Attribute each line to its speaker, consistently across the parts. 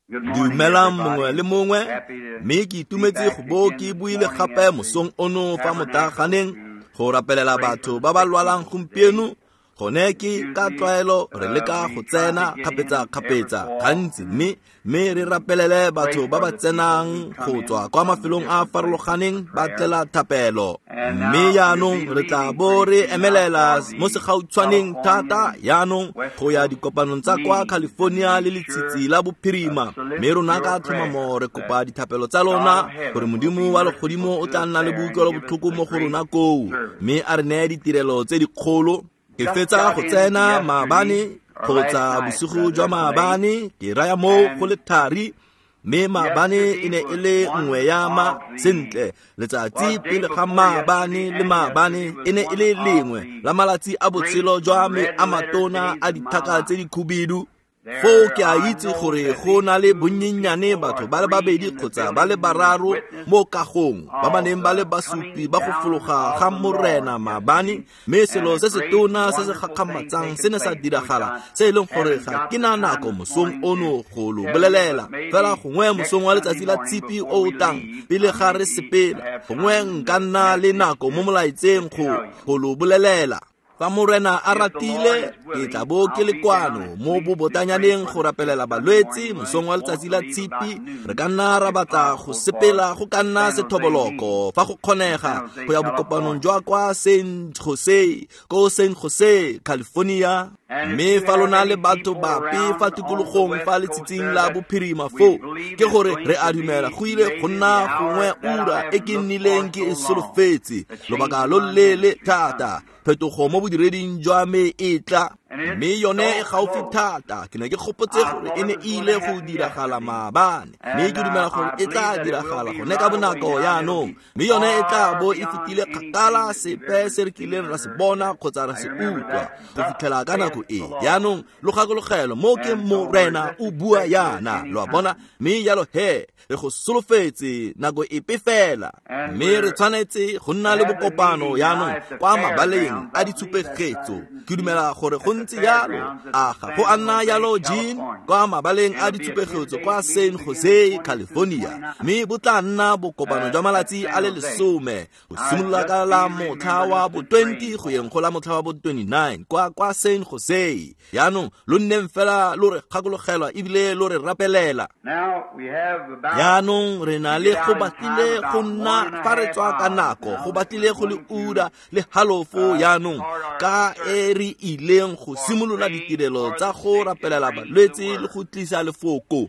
Speaker 1: Dumelang mongwe le mongwe, mme ke itumetse go bo ke buile gape mosong ono fa motaaganeng go rapelela batho ba ba lwalang gompieno. Gone ke ka tlwaelo re leka go tsena kgapetsa-kgapetsa gantsi, mme re rapelele batho ba ba tsenang go tswa kwa mafelong a a farologaneng ba tlela thapelo. Mme jaanong re tla bo re emelela mo segautshwaneng thata jaanong go ya dikopanong tsa kwa California le letshitsi la bophirima, mme rona ka tlhomamo re kopa dithapelo tsa lona gore Modimo wa legodimo o tla nna le boutlwelo botlhoko mo go rona koo, mme a re neye ditirelo tse dikgolo. Ke fetsa go tsena maabane kgotsa bosigo jwa maabane, ke raya moo go le thari, mme maabane e ne e le nngwe ya ma sentle letsatsi pele ga maabane le maabane e ne e le lengwe la malatsi a botshelo jwa me a matona a dithaka tse di khubidu. Foo ke a itse gore go na le bonnyennyane batho ba le babedi kgotsa ba le bararo mo kagong ba ba neng ba le basupi ba go fologa ga Morena maabane, mme selo se se tona se se gakgamatsang se ne sa diragala, se e leng gore ga ke na nako mosong ono go lo bolelela. Fela gongwe mosong wa letsatsi la Tshipi o o tlang pele ga re sepela, gongwe nka nna le nako mo molaetseng go lo bolelela. Fa Morena a ratile, ke tla bo ke le kwano mo bobotanyaneng go rapelela balwetse mosong wa letsatsi la Tshipi. Re ka nna ra batla go sepela go ka nna sethoboloko fa go kgonega go ya bokopanong jwa kwa San Jose, ko San Jose, California. Mme fa lona le batho bape fa tikologong fa letshitsing la bophirima foo, ke gore re a dumela go ile go nna gongwe ura e ke nnileng ke e solofetse lobaka lo leele thata. Phetogo mo bodireding jwa me e tla, mme yone e gaufi thata. Ke ne ke gopotse gore e ne e ile go diragala maabane, mme ke dumela gore e tla diragala gone ka bonako jaanong, mme yone e tla bo e fetile kgakala sepe se re kileng ra se bona kgotsa ra se utlwa go fitlhela ka nako e. Jaanong lo gakologelo mo ke Morena o bua yana, lo a bona, mme jalo he re go solofetse nako epe fela, mme re tshwanetse go nna le bokopano jaanong kwa mabaleng a ditshupegetso. Ke dumela gore go ntse jalo, a ga go a nna jalo, Jean, kwa mabaleng a ditshupegetso kwa San Jose, California, mme bo tla nna bokopano jwa malatsi a le 10 go simolola ka la motlha wa bo 20 go yeng go la motlha wa bo 29 kwa San Jose. Jaanong lo nneng fela lo re gakologelwa ebile lo re rapelela. Jaanong re na le go batlile go nna fa re tswa ka nako, go batlile go le ura le halofo jaanong ka e re ileng go simolola ditirelo tsa go rapelela balwetse le go tlisa lefoko.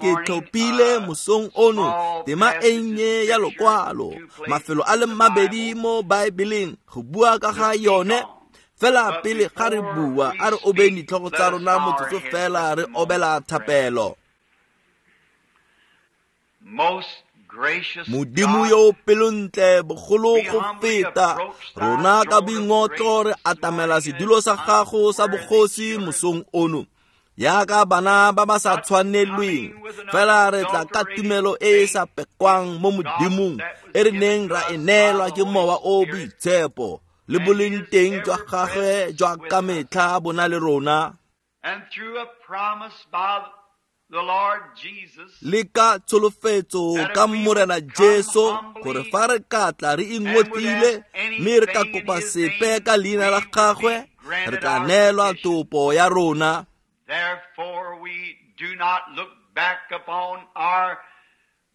Speaker 1: Ke tlhophile mosong ono tema e nnye ya lokwalo, mafelo a le mabedi mo Baebeleng go bua ka ga yone. Fela pele ga re bua, a re obeng ditlhogo tsa rona motsotso fela re obela thapelo. Modimo yo o pelontle bogolo go feta, rona ka boingotlo re atamela sedulo sa gago sa bogosi mosong ono, yaka bana ba ba sa tshwanelweng, fela re tla ka tumelo e e sa pekwang mo Modimong e re neng ra e neelwa ke Mowa o Boitshepo le boleng teng jwa gagwe jwa ka metlha bo na le rona. Le ka tsholofetso ka Morena Jesu gore fa re ka tla re ingotlile mme re ka kopa sepe ka leina la gagwe, re tla neelwa topo ya rona.
Speaker 2: Therefore we do not look back upon our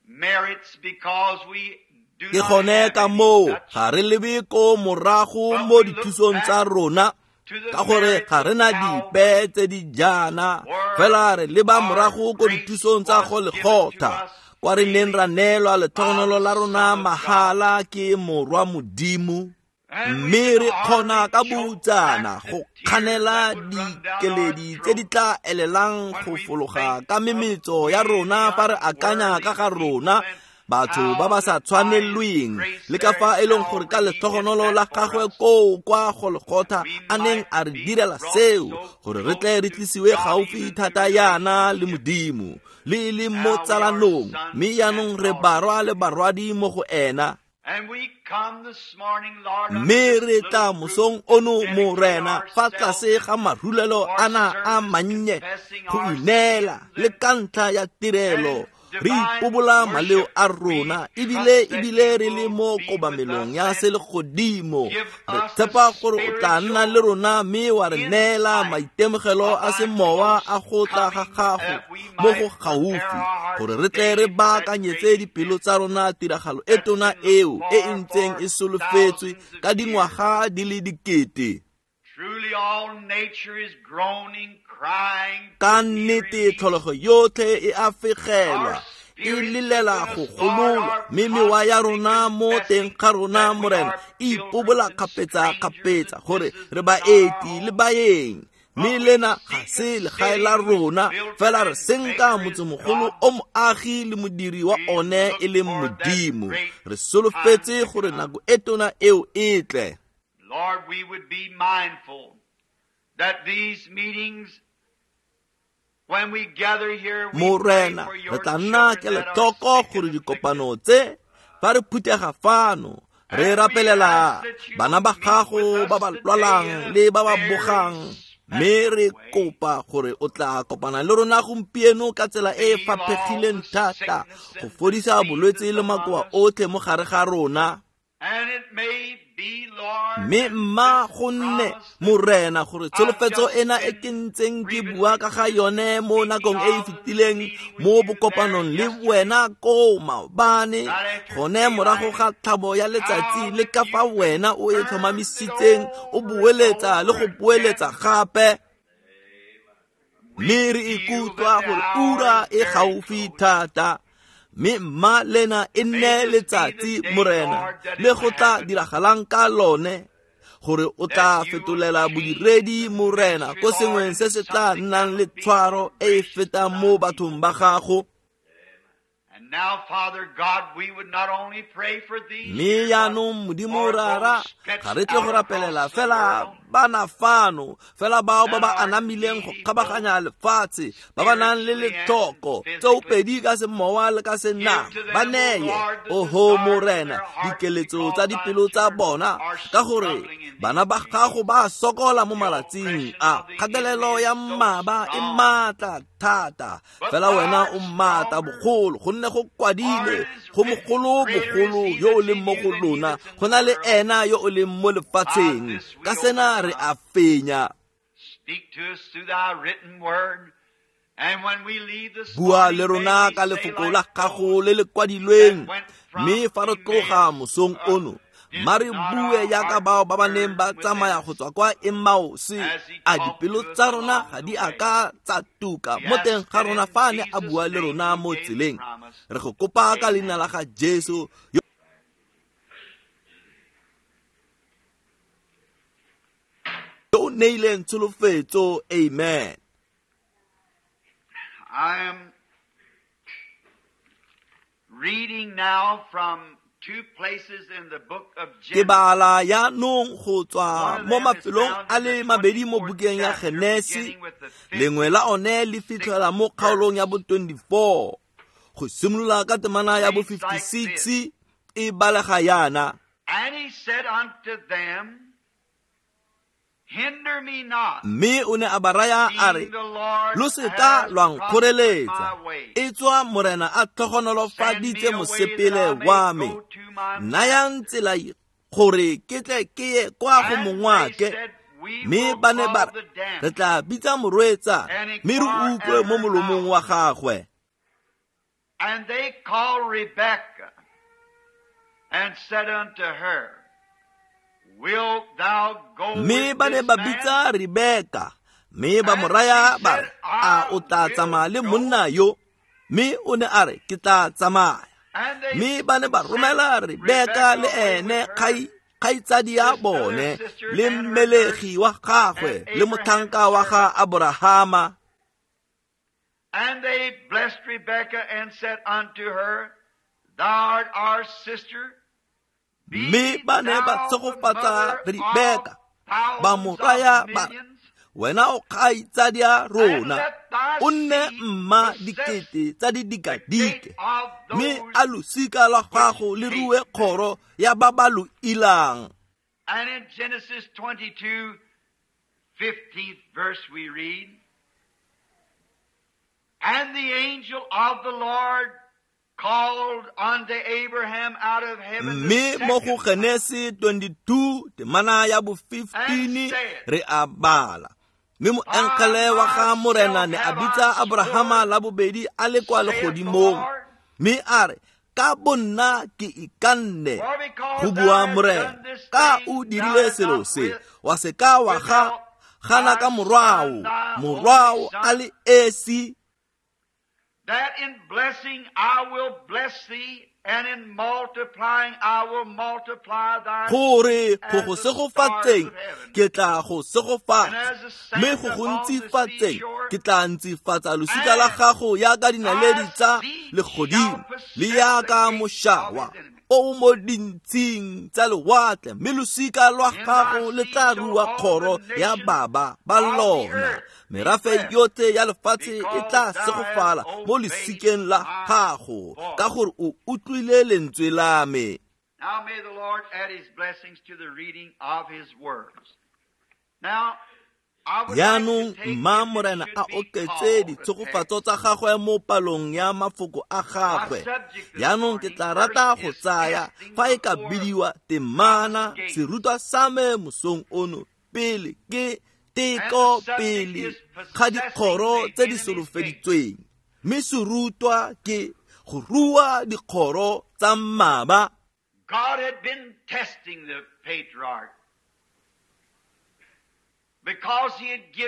Speaker 2: merits because we
Speaker 1: Ke gone ka moo ga re lebe ko morago mo dithusong tsa rona, ka gore ga re na dipe tse di jaana, fela re leba morago ko dithusong tsa Golgotha, kwa re neng ra neelwa letlhogonolo la rona mahala ke Morwa Modimo. Mme re kgona ka boutsana go kganela dikeledi tse di tla elelang go fologa ka memetso ya rona fa re akanya ka ga rona batho ba ba sa tshwanelweng, le ka fa e leng gore ka letlhogonolo la gagwe koo kwa Golgotha a neng a re direla seo, gore re tle re tlisiwe gaufi thata yana le Modimo, le e leng mo tsalanong, mme jaanong re barwa le barwadi mo go ena. Mme re tla mosong ono, Morena, fa tlase ga marulelo ana a mannye go ineela le ka ntlha ya tirelo, re ipobola maleo a rona, ebile re le mo kobamelong ya selegodimo. Re tshepa gore o tla nna le rona mme wa re neela maitemogelo a semowa a go tla ga gago mo go gaufi, gore re tle re baakanyetse dipelo tsa rona tiragalo e tona eo e e ntseng e solofetswe ka dingwaga di le dikete. Ka nnete tlholego yotlhe e a fegelwa, e lelela go gololwa, mme mewa ya rona mo teng ga rona, Morena, e ipobola kgapetsa-kgapetsa gore re baeti le baeng, mme lena ga se legae la rona, fela re senka motsemogolo o moagi le modiri wa one e leng Modimo. Re solofetse gore nako e tona eo e tle.
Speaker 2: Lord, we would be mindful that these meetings, when we gather here, we
Speaker 1: Morena,
Speaker 2: pray for your
Speaker 1: re tla nna
Speaker 2: children that are
Speaker 1: kelotlhoko
Speaker 2: sick
Speaker 1: gore
Speaker 2: and
Speaker 1: dikopano
Speaker 2: afflicted.
Speaker 1: tse fa re phuthega fano re rapelela bana ba gago ba ba lwalang le ba ba bogang, mme re kopa gore o tla kopana le rona gompieno ka tsela e e faphegileng thata go fodisa bolwetse le makoa otlhe mo gare ga rona.
Speaker 2: And it may be, Lord,
Speaker 1: Mme mma go nne, Morena, gore tsholofetso ena e ke ntseng ke bua ka ga yone mo nakong e e fetileng mo bokopanong le wena koo maobane, gone morago ga tlhabo ya letsatsi, le ka fa wena o e tlhomamisitseng o boeletsa le go boeletsa gape. Mme re ikutlwa gore ura e gaufi thata, mme mma lena e nne letsatsi, Morena, le go tla diragalang ka lone, gore o tla fetolela bodiredi, Morena, ko sengweng se se tla nnang le tshwaro e e fetang mo bathong ba gago.
Speaker 2: And now, Father God, we would not only pray for these,
Speaker 1: Mme jaanong, Modimo Rara, ga re tle go rapelela fela bana fano, fela bao ba ba anamileng go kgabaganya lefatshe, ba ba nang le letlhoko tsoopedi ka semowa le ka senama, ba neye, oho Morena, dikeletso tsa dipelo tsa bona, ka gore bana ba gago ba sokola mo malatsing a. Kgatelelo ya mmaba e maatla thata, fela wena o maatla bogolo, gonne go kwadile go mogolo bogolo yo o leng mo go lona, go na le ena yo o leng mo lefatsheng. Ka sena re a fenya.
Speaker 2: Speak to us through thy written word. And when we leave this
Speaker 1: Bua
Speaker 2: morning,
Speaker 1: le
Speaker 2: may
Speaker 1: rona
Speaker 2: we
Speaker 1: ka
Speaker 2: say
Speaker 1: lefoko
Speaker 2: like
Speaker 1: la gago le le kwadilweng, mme fa re tloga mosong ono, mma re bue jaaka bao ba ba neng ba tsamaya go tswa kwa Emmaus, a dipelo tsa rona ga di a ka tsa tuka mo teng ga rona fa a ne a bua le rona mo tseleng. Re go kopa ka leina la ga Jesu yo o neileng tsholofetso. Amen.
Speaker 2: I am reading now from two places in the book of
Speaker 1: Ke
Speaker 2: Genesis.
Speaker 1: bala jaanong go tswa mo mafelong a le mabedi mo bukeng ya Genesi, lengwe la one le fitlhela mo kgaolong ya bo 24, go simolola ka temana ya bo 56, e balega yana.
Speaker 2: And he said unto them, Hinder me not,
Speaker 1: Mme o ne a ba raya a re,
Speaker 2: seeing the Lord
Speaker 1: lo se ka
Speaker 2: hath
Speaker 1: lwa
Speaker 2: prospered
Speaker 1: nkgoreletsa,
Speaker 2: my way.
Speaker 1: e tswa Morena a
Speaker 2: Send me
Speaker 1: tlhogonolofaditse
Speaker 2: away that I
Speaker 1: mosepele
Speaker 2: may
Speaker 1: wa me.
Speaker 2: go to my
Speaker 1: Nayang tsela gore ke tle ke ye kwa go
Speaker 2: And they
Speaker 1: mongwake.
Speaker 2: said, We
Speaker 1: Mme
Speaker 2: will
Speaker 1: ba ne ba
Speaker 2: call
Speaker 1: re,
Speaker 2: the damsel
Speaker 1: re tla bitsa morwetsa,
Speaker 2: and
Speaker 1: mme re
Speaker 2: inquire
Speaker 1: utlwe
Speaker 2: at
Speaker 1: mo
Speaker 2: her
Speaker 1: molomong
Speaker 2: mouth.
Speaker 1: wa gagwe.
Speaker 2: And they called Rebekah and said unto her, Wilt thou go
Speaker 1: Mme
Speaker 2: with
Speaker 1: ba ne
Speaker 2: this
Speaker 1: ba
Speaker 2: man?
Speaker 1: bitsa Rebeka, mme ba mo
Speaker 2: And
Speaker 1: raya
Speaker 2: she
Speaker 1: ba
Speaker 2: said,
Speaker 1: re, a
Speaker 2: I
Speaker 1: o tla
Speaker 2: will
Speaker 1: tsamaya le
Speaker 2: go.
Speaker 1: monna yo? Mme o ne a re, ke tla tsamaya.
Speaker 2: And they
Speaker 1: Mme ba ne ba
Speaker 2: sent
Speaker 1: romela Rebeka
Speaker 2: Rebekah
Speaker 1: le
Speaker 2: away
Speaker 1: ene
Speaker 2: with her
Speaker 1: kgaitsadi ya
Speaker 2: this other
Speaker 1: bone,
Speaker 2: sister
Speaker 1: le
Speaker 2: and her nurse
Speaker 1: mmelegi wa gagwe,
Speaker 2: and
Speaker 1: le
Speaker 2: Abraham's
Speaker 1: motlhanka wa ga
Speaker 2: servant.
Speaker 1: Aborahama.
Speaker 2: And they blessed Rebekah and said unto her, Thou art our sister.
Speaker 1: Mme
Speaker 2: Be
Speaker 1: ba ne ba
Speaker 2: thou the
Speaker 1: tshegofatsa
Speaker 2: mother of
Speaker 1: Rebeka, ba mo
Speaker 2: thousands
Speaker 1: raya
Speaker 2: of
Speaker 1: ba re,
Speaker 2: millions,
Speaker 1: Wena o kgaitsadia rona, o nne mma dikete tsa didikadike, mme a losika lwa gago le rue kgoro ya ba ba lo ilang.
Speaker 2: And in Genesis 22, 15th verse we read, And the angel of the Lord called unto Abraham out of heaven.
Speaker 1: Mme mo go Genesi 22 temana ya bo 15 re a bala. Mme moengele wa ga Morena ne a bitsa Abrahama la bobedi a le kwa legodimong, mme a re, ka bonna ke ikanne, go bua Morena, ka o dirile selo se, wa se ka wa ga gana ka morwao, morwao a le esi.
Speaker 2: That in blessing I will bless thee, and in multiplying I will multiply thy
Speaker 1: gore go go segofatseng ke tla go segofatsa, mme go go ntsifatseng ke tla ntsifatsa losika la gago yaka dinaledi tsa legodimo le yaka mošawa o mo dintsing tsa lewatle, mme losika lwa gago le tla rua kgoro ya baba ba lona. Merafe yotlhe ya lefatshe e tla segofala mo losikeng la gago, ka gore o utlwile lentswe la me.
Speaker 2: Now may the Lord add his blessings to the reading of his words. Now
Speaker 1: Jaanong mma Morena a oketse ditshegofatso tsa gagwe mo palong ya mafoko a gagwe. Jaanong ke tla rata go tsaya fa e ka bidiwa temana serutwa sa me mosong ono pele ke teko pele ga dikgoro tse di solofeditsweng, mme serutwa ke go rua dikgoro tsa mmaba.
Speaker 2: God had been testing the patriarch.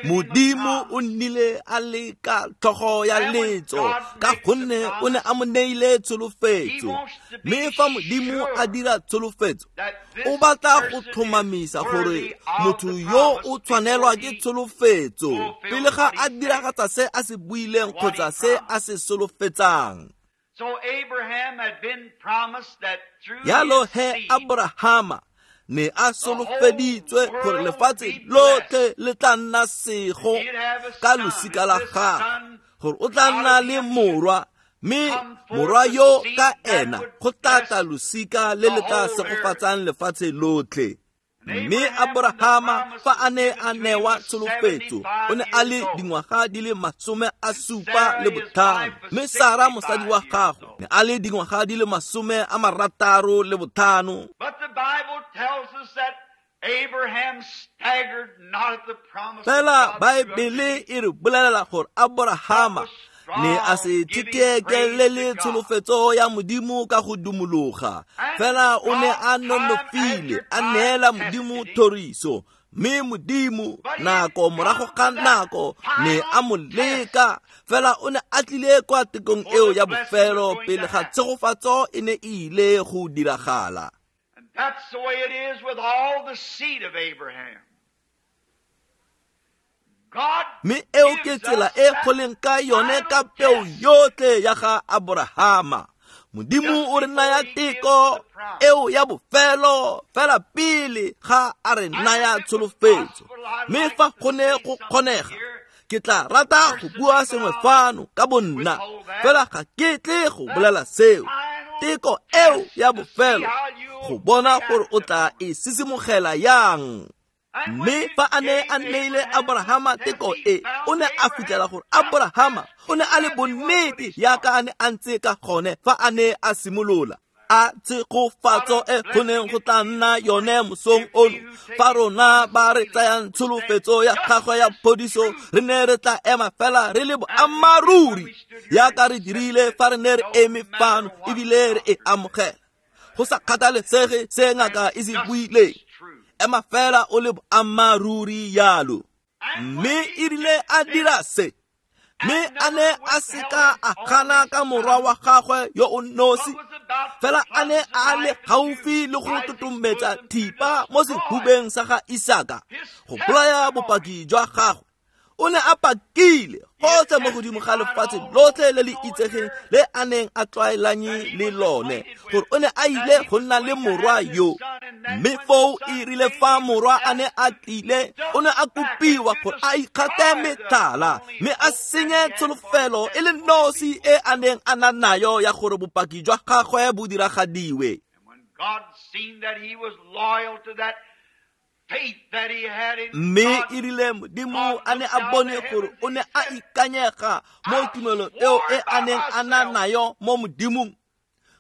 Speaker 1: Modimo o nnile a leka tlhogo ya letso ka gonne o ne a mo neile tsholofetso. Mme fa Modimo a dira tsholofetso, o batla go tlhomamisa gore motho yo o tshwanelwa ke tsholofetso pele ga a diragatsa se a se buileng kgotsa se a se solofetsang. Jalo he Abrahama ne a solofeditswe gore lefatshe lotlhe le tla nna sego ka losika la gagwe, gore o tla nna le morwa, mme morwa yo ka ena go tla tla losika le le tla segofatsang lefatshe lotlhe. Mme Abrahama fa a ne a newa tsholofetso, o ne a le dingwaga di le 75, mme Sara mosadi wa gagwe ne a le dingwaga di le 65. Fela Baebele e re bolelela gore Abrahama ne a se thekekelele tsholofetso ya Modimo ka go dumologa, fela o ne a nonofile a neela Modimo thoriso, mme Modimo nako morago ga nako ne a mo leka, fela o ne a tlile kwa tekong eo ya bofelo pele ga tshegofatso e ne e ile go diragala.
Speaker 2: That's the way it is with all the seed of Abraham.
Speaker 1: Mme eo ke tsela e go leng ka yone ka peo yotlhe ya ga Abrahama. Modimo o re naya teko eo ya bofelo fela pele ga a re naya tsholofetso. Mme fa go ne go kgonega, ke tla rata go bua sengwe fano ka bonna, fela ga ke tle go bolela seo. Teko eo ya bofelo go bona gore o tla e sisimogela yang. Mme fa a ne a neile Abrahama teko e, o ne a fitlhela gore Abrahama o ne a le bonnete yaka a ne a ntse ka gone fa a ne a simolola. A tshegofatso e go neng go tla nna yone mosong ono, fa rona ba re tsayang tsholofetso ya gagwe ya phodiso, re ne re tla ema fela re le boammaaruri yaka re dirile fa re ne re eme fano ebile re e amogela, go sa kgathalesege se ngaka e se buileng. Ema fela o le boammaaruri yalo. Mme e rile a dira se, mme a ne a seka a gana ka morwa wa gagwe yo o nosi, fela a ne a le gaufi le go totometsa thipa mo sehubeng sa ga Isaka go bolaya bopaki jwa gagwe. O ne a pakile gotlhe mo godimo ga lefatshe lotlhe le le itsegeng le a neng a tlwaelanye le lone gore o ne a ile go nna le morwa yo. Mme foo e rile fa morwa a ne a tlile, o ne a kopiwa gore a ikgate metlhala mme a senye tsholofelo e le nosi e a neng a na nayo ya gore bopaki jwa gagwe bo diragadiwe. Mme e rile Modimo a ne a bone gore o ne a ikanyega mo tumelong eo e a neng a na nayo mo Modimong,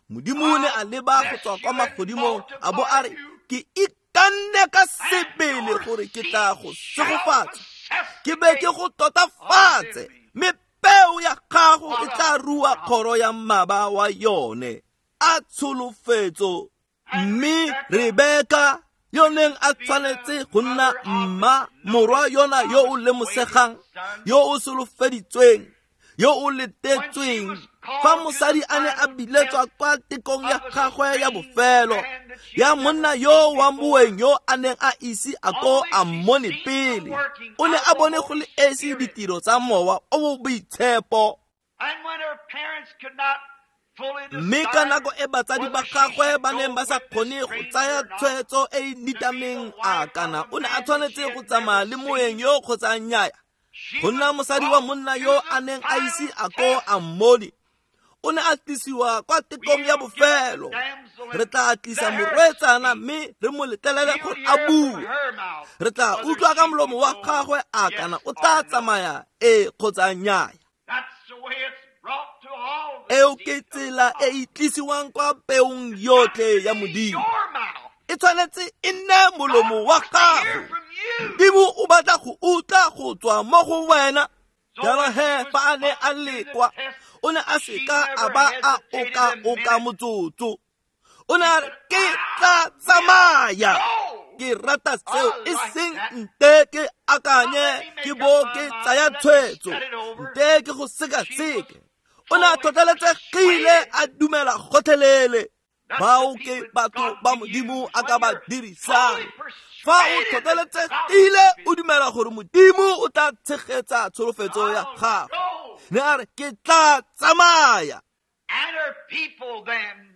Speaker 1: Modimo ne a leba go tswa kwa magodimong a bo a re, ke ikanne ka sebele gore ke tla go segofatsa, ke be ke go totafatse, mme peo ya gago e tla rua kgoro ya mmaba wa yone. A tsholofetso. Mme Rebeka yo neng a tshwanetse go nna mma morwa yona yo o lemosegang, yo o solofeditsweng, yo o letetsweng, fa mosadi a ne a biletswa kwa tekong ya gagwe ya bofelo ya monna yo wa moeng yo a neng a ise a ko a mmone pele, o ne a bone go le esi ditiro tsa mowa o o boitshepo. Mme ka nako e batsadi ba gagwe ba neng ba sa kgone go tsaya tshwetso e e nitameng a kana o ne a tshwanetse go tsamaya le moeng yo kgotsa nnyaya, go nna mosadi wa monna yo a neng a ise a ko a mmone, o ne a tlisiwa kwa tekong ya bofelo. Re tla tlisa morwetsana mme re mo letlelele gore a bue. Re tla utlwa ka molomo wa gagwe a kana o tla tsamaya e kgotsa nnyaya. Eo ke tsela e e tlisiwang kwa peong yotlhe ya Modimo. E tshwanetse e nne molomo wa gago. Modimo o batla go utlwa go tswa mo go wena. Jalo he fa a ne a lekwa, o ne a seka a ba a oka-oka motsotso. O ne a re, ke tla tsamaya. Ke rata seo, e seng nte ke akanye ke bo ke tsaya tshwetso, nte ke go sekaseke. O ne a tlhotlheletsegile a dumela gotlhelele. Bao ke batho ba Modimo a ka ba dirisang. Fa o tlhotlheletsegile o dumela gore Modimo o tla tshegetsa tsholofetso ya gago, ne a re, ke tla tsamaya.
Speaker 2: And her people then,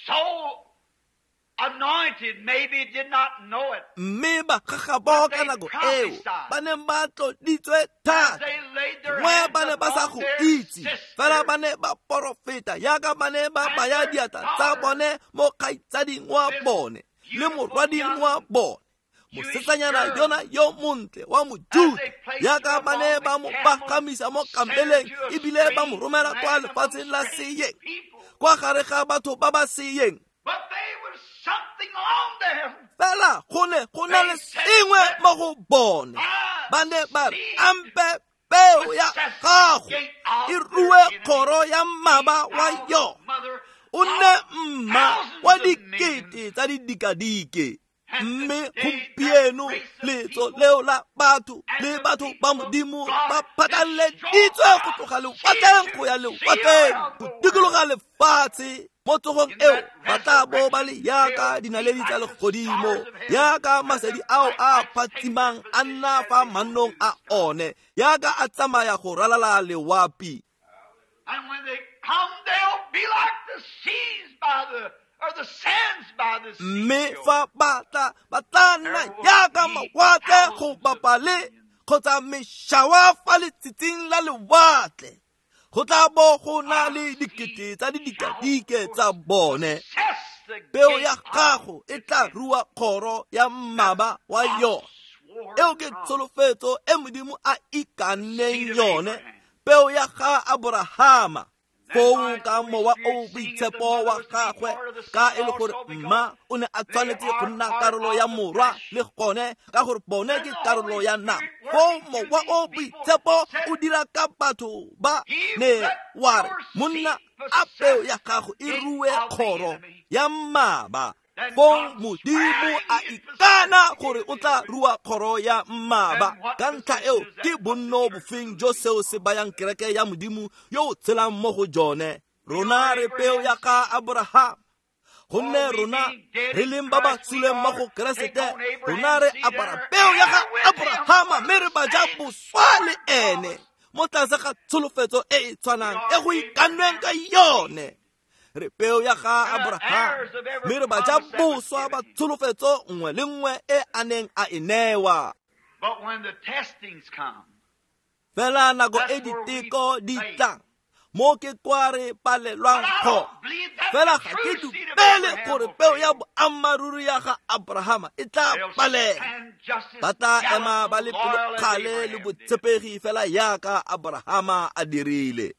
Speaker 2: so anointed, maybe did not know it.
Speaker 1: Mme ba gagabo ka nako eo ba neng ba tloditswe thata, gongwe ba ne ba sa go itse, fela ba ne ba porofeta yaka ba ne ba baya diatla tsa bone mo kgaitsading wa bone le morwading wa bone, mosetsanyana yona yo montle wa Mojuda, yaka ba ne ba mo pagamisa mo kameleng ebile ba mo romela kwa lefatsheng la seyeng, kwa gare ga batho ba ba seyeng. Fela go ne go na le sengwe mo go bone. Ba ne ba re, ampe peo ya gago e rue kgoro ya mmaba wa yona, o nne mma wa dikete tsa didikadike. Mme gompieno letso leo la batho le batho ba Modimo ba phatlaleditswe go tloga lewatleng go ya lewatleng, go dikologa lefatshe. Mo tsogong eo ba tla bo ba le yaka dinaledi tsa legodimo, yaka masedi ao a phatsimang a nna fa mannong a one, yaka a tsamaya go ralala lewapi.
Speaker 2: And when they come, they'll be like the seas by the or the sands by the sea.
Speaker 1: Mme fa ba tla, ba tla nna yaka mawatle go bapa le kgotsa mešawa fa letshitshing la lewatle. Go tla bo go na le dikete tsa didikadike tsa bone. Peo ya gago e tla rua kgoro ya mmaba wa yone. Eo ke tsholofetso e Modimo a ikanneng yone, peo ya ga Aborahama. Foo ka mowa o boitshepo wa gagwe, ka e le gore mma o ne a tshwanetse go nna karolo ya morwa le gone, ka gore bone ke karolo ya nama. Foo mowa o boitshepo o dira ka batho ba ne wa re, monna a peo ya gago e rue kgoro ya mmaba. Foo Modimo a ikana gore o tla rua kgoro ya mmaba. Ka ntlha eo ke bonno bofeng jo seo se bayang kereke ya Modimo yo o tshelang mo go jone. Rona re peo ya ga Aborahama. Gonne rona re leng ba ba suleng mo go Keresete, rona re apara peo ya ga Abrahama mme re ba ja boswa le ene mo tlase ga tsholofetso e e tshwanang e go ikannweng ka yone. Re peo ya ga Abrahama mme re ba ja boswa ba tsholofetso nngwe le nngwe e a neng a e newa. Fela nako e diteko di tlang, mo ke kwa re palelwang go. Fela ga ke dumele gore peo ya boammaaruri ya ga Abrahama e tla palela. Ba tla ema ba le pelokgale le botshepegi fela yaka Abrahama a dirile.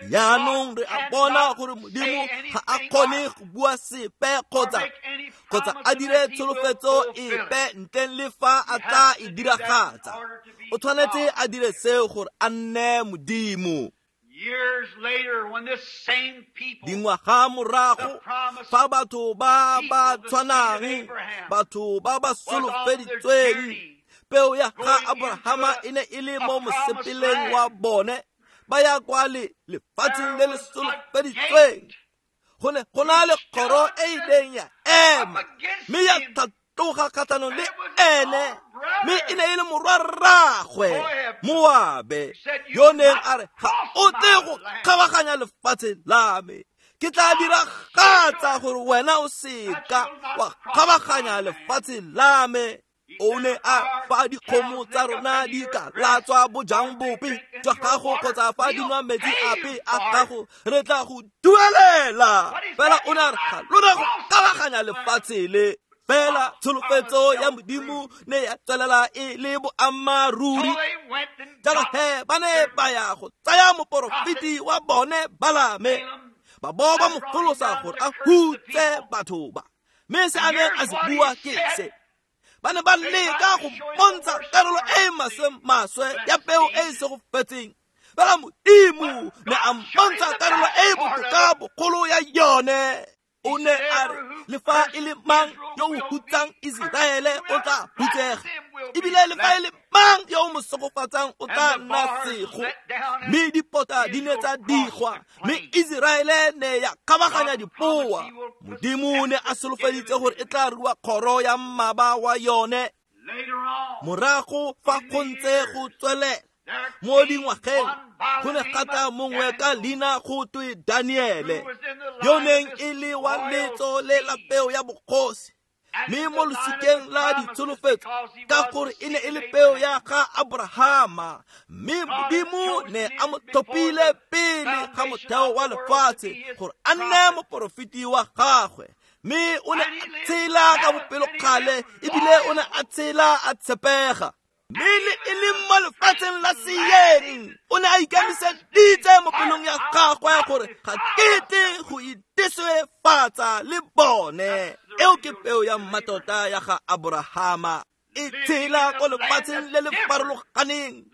Speaker 1: Jaanong re a bona gore Modimo ga a kgone go bua sepe kgotsa a dire tsholofetso epe ntleng le fa a tla e diragatsa. O tshwanetse a dire seo gore a nne Modimo. Dingwaga morago, fa batho ba ba tshwanang, batho ba ba solofeditsweng, peo ya ga Abrahama e ne e le mo mosepeleng wa bone, ba ya kwa lefatsheng le le solofeditsweng. Go ne go na le kgoro e ileng ya ema mme ya tlhatloga kgatlhanong le ene, mme e ne e le morwarraagwe Moabe yo neng a re, ga o tle go kgabaganya lefatshe la me, ke tla diragatsa gore wena o seka wa kgabaganya lefatshe la me. O ne a fa dikgomo tsa rona di ka latswa bojang bope jwa gago kgotsa fa di nwa metsi ape a gago, re tla go duelela. Fela o ne a re ga lona go kgabaganya lefatshe le. Fela tsholofetso ya Modimo ne ya tswelela e le boammaaruri. Jalo he ba ne ba ya go tsaya moporofeti wa bone Balame, ba bo ba mo folosa gore a hutse batho ba. Mme se a neng a se bua ke se. Ba ne ba leka go bontsha karolo e maswe ya peo e e segofetseng. Fela Modimo ne a mpontsha karolo e botoka bogolo ya yone. O ne a re, le fa e le mang yo o hutsang Iseraele o tla hutsega, ebile le fa e le mang yo o mo segofatsang o tla nna sego. Mme dipota di ne tsa digwa, mme Iseraele ne ya kgabaganya dipoa. Modimo ne a solofeditse gore e tla rua kgoro ya mmaba wa yone. Morago fa go ntse go tswelela mo dingwageng, go ne ga tla mongwe ka leina go twe Daniele, yo neng e le wa letso le la peo ya bogosi, mme mo losikeng la ditsholofetso, ka gore e ne e le peo ya ga Abrahama, mme Modimo ne a mo tlhophile pele ga motheo wa lefatshe gore a nne moporofeti wa gagwe. Mme o ne a tshela ka bopelokgale ebile o ne a tshela a tshepega. Mme le e le mo lefatsheng la seeng, o ne a ikemiseditse mo pelong ya gagwe gore ga kete go iteswefatsa le bone. Eo ke peo ya mmatota ya ga Abrahama, e tshela ko lefatsheng le le farologaneng,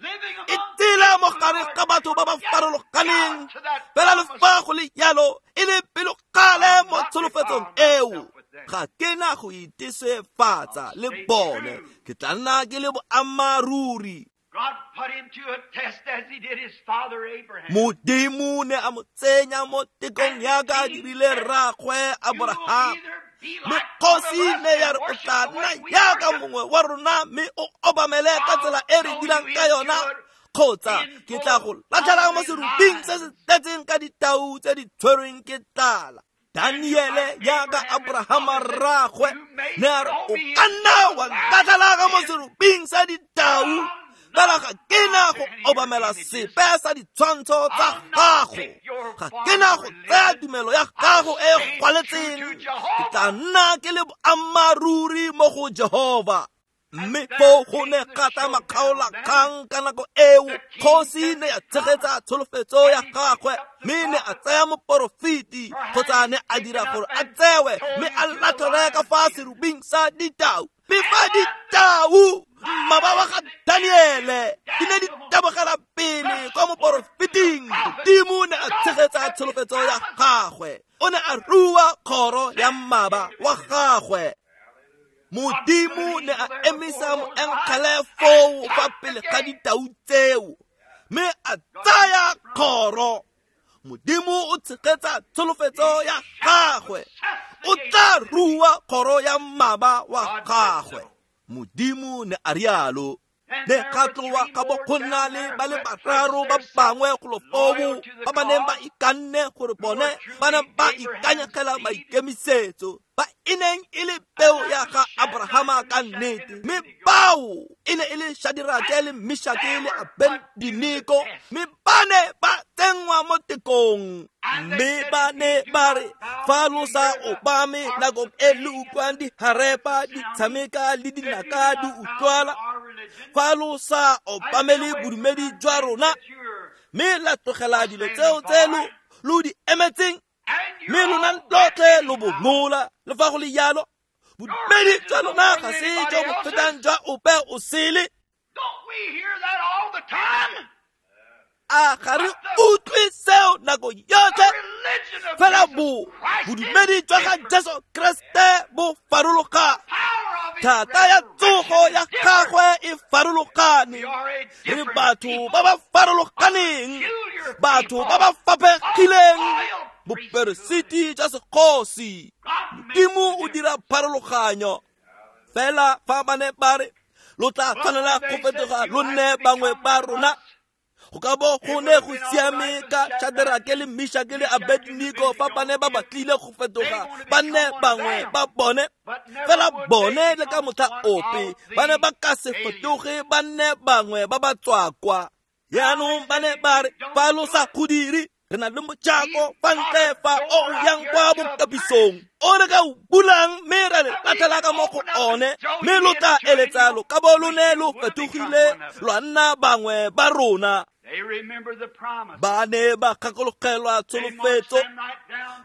Speaker 1: e tshela mo gare ga batho ba ba farologaneng, fela le fa go le jalo e le pelokgale mo tsholofetsong eo. Ga ke na go iteswefatsa le bone, ke tla nna ke le boammaaruri. Modimo ne a mo tsenya mo tekong yaka a dirile rraagwe Abrahama. Mme kgosi ne ya re o tla nna yaka mongwe wa rona mme o obamele ka tsela e re dirang ka yona, kgotsa ke tla go latlhela mo seruping se se tletseng ka ditau tse di tshwerweng ke tlala. Daniele yaka Abrahama rraagwe ne a re o ka nna wa nkatlhela ka mo seruping sa ditau, fela ga ke na go obamela sepe sa ditshwantsho tsa gago, ga ke na go tsaya tumelo ya gago e gwaletseng, ke tla nna ke le boammaaruri mo go Jehova. Mme foo go ne ga tla makgaolakgang ka nako eo, kgosi ne ya tshegetsa tsholofetso ya gagwe, mme ne a tsaya moporofeti kgotsa ne a dira gore a tsewe mme a latlhelwe ka fa serubing sa ditau. Mme fa ditau mmaba wa ga Daniele di ne di tabogela pele kwa moporofeting, Modimo ne a tshegetsa tsholofetso ya gagwe, o ne a rua kgoro ya mmaba wa gagwe. Modimo ne a emisa moengele foo fa pele ga ditau tseo, mme a tsaya kgoro. Modimo o tshegetsa tsholofetso ya gagwe. O tla rua kgoro ya mmaba wa gagwe. Modimo ne a rialo. Ne ga tloa ga bo go nna le ba le bararo ba bangwe golo foo ba ba neng ba ikanne gore bone ba ne ba ikanyegela maikemisetso ba e neng e le peo ya ga Abrahama ka nnete, mme bao e ne e le Shadrake le Meshake le Abednego, mme ba ne ba tsenngwa mo tekong. Mme ba ne ba re, fa lo sa obame nakong e le utlwang diharepa di tshameka le dinaka di utlwala, fa lo sa obamele bodumedi jwa rona, mme la tlogela dilo tseo tse lo di emetseng, mme lona lotlhe lo bongola, le fa go le jalo bodumedi jwa lona ga se jo bo fetang jwa ope o sele. A ga re utlwe seo nako yotlhe? Fela bodumedi jwa ga Jesu Kriste bo farologane. Thata ya tsogo ya gagwe e farologane. Re batho ba ba farologaneng, batho ba ba faphegileng, boperesiti jwa segosi. Modimo o dira pharologanyo. Fela fa ba ne ba re, lo tla tshwanela go fetoga lo nne bangwe ba rona, go ka bo go ne go siame ka Shadrake le Meshake le Abednego fa ba ne ba batlile go fetoga ba nne bangwe ba bone. Fela bone le ka motlha ope ba ne ba ka se fetoge ba nne bangwe ba ba tswakwa. Jaanong ba ne ba re, fa lo sa go dire, re na le mojako fa ntle fa o o yang kwa bokapisong o re ka o bulang, mme ra le latlhela ka mo go one, mme lo tla eletsa lo ka bo lo ne lo fetogile lwa nna bangwe ba rona. Ba ne ba gakologelwa tsholofetso,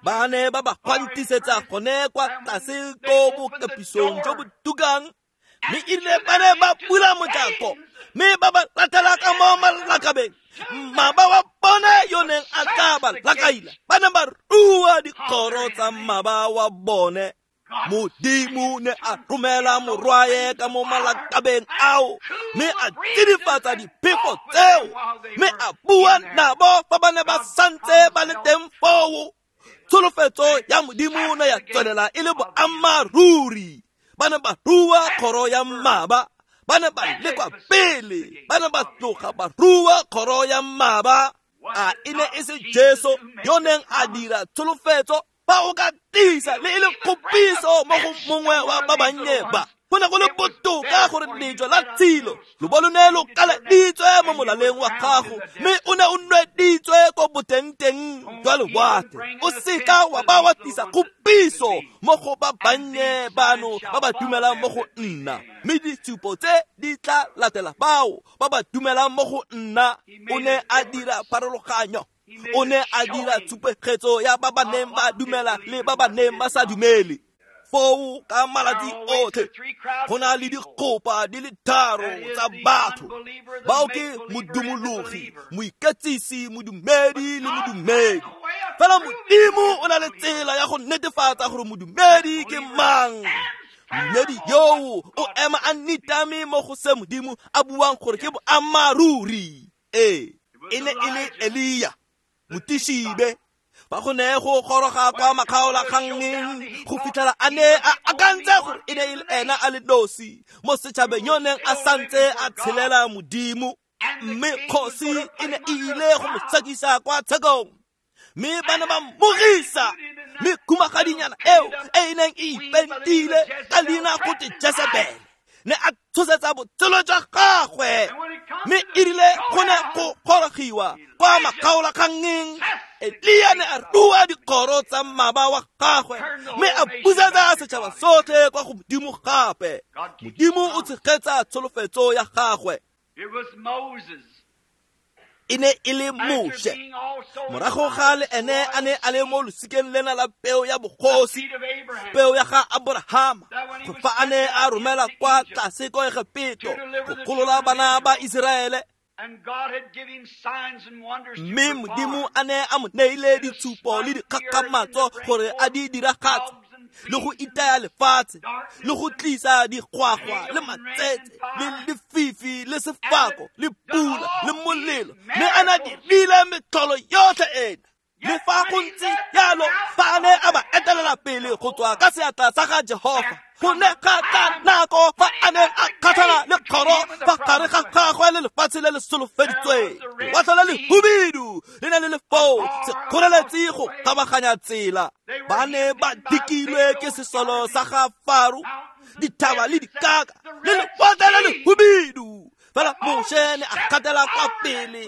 Speaker 1: ba ne ba ba gwantisetsa gone kwa tlase ko bokapisong jo bo tukang, mme erile ba ne ba bula mojako, mme ba ba latlhela ka mo malakabeng. Mmaba wa bone yo neng a tla ba lakaila, ba ne ba rua dikgoro tsa mmaba wa bone. Modimo ne a romela morwae ka mo malakabeng ao, mme a tsidifatsa diphefo tseo, mme a bua nabo fa ba ne ba santse ba le teng foo. Tsholofetso ya Modimo ne ya tswelela e le boammaaruri. Ba ne ba rua kgoro ya mmaba, ba ne ba lekwa pele, ba ne ba tloga ba rua kgoro ya mmaba. A e ne e se Jesu yo neng a dira tsholofetso? Fa o ka tisa le e le kgopiso mo go mongwe wa ba bannye ba, go ne go le botoka gore lejwe la tshilo lo bo lo ne lo kaleditswe mo molaleng wa gago, mme o ne o nweditswe ko botengteng jwa lewatle. O seka wa ba wa tlisa kgopiso mo go ba bannye bano ba ba dumelang mo go nna, mme ditshupo tse di tla latela bao ba ba dumelang mo go nna. O ne a dira pharologanyo. O ne a dira tshupegetso ya ba ba neng ba dumela le ba ba neng ba sa dumele. Foo ka malatsi otlhe go na le dikgopa di le tharo tsa batho, bao ke modumologi, moiketsisi, modumedi le modumedi. Fela Modimo o na le tsela ya go netefatsa gore modumedi ke mang. Modumedi yoo o ema a nitame mo go se Modimo a buang gore ke boammaaruri. Ee, e ne e le Elia motishibe, ba go ne go goroga kwa makgaolakgangeng go fitlhela a ne a akantse gore e ne e le ena a le nosi mo setšhabeng yo neng a santse a tshelela Modimo, mme kgosi e ne e ile go mo tshekisa kwa tshekong, mme ba ne ba mmogisa. Mme khumagadinyana eo e e neng e ipentile ka leina go te Jezebele ne a tshosetsa botshelo jwa gagwe, mme erile go ne go gorogiwa kwa makgaolakgangeng, Elia ne a rua dikgoro tsa mmaba wa gagwe, mme a busetsa setšhaba sotlhe kwa go Modimo gape. Modimo o tshegetsa tsholofetso ya gagwe. E ne e le Moshe, morago ga le ene a ne a le mo losikeng lena la peo ya bogosi, peo ya ga Abrahama, go fa a ne a romela kwa tlase ko Egepeto go golola bana ba Iseraele, mme Modimo a ne a mo neile ditshupo le dikgakgamatso gore a di diragatse, le go itaya lefatshe, le go tlisa digwagwa le matsetse le lefifi le sefako le pula le molelo, mme a na dirile metlholo yotlhe ena. Le fa go ntse jalo, fa a ne a ba etelela pele go tswa ka seatla sa ga Jehofa, go ne ga tla nako fa a neng a kgatlhana le kgoro fa gare ga gagwe le lefatshe le le solofeditsweng. Lewatle le lehubidu le ne le le foo, sekgoreletsi go kgabaganya tsela. Ba ne ba dikilwe ke sesolo sa ga Faro, dithaba le dikaka le lewatle le lehubidu. Fela Moshe ne a gatela kwa pele,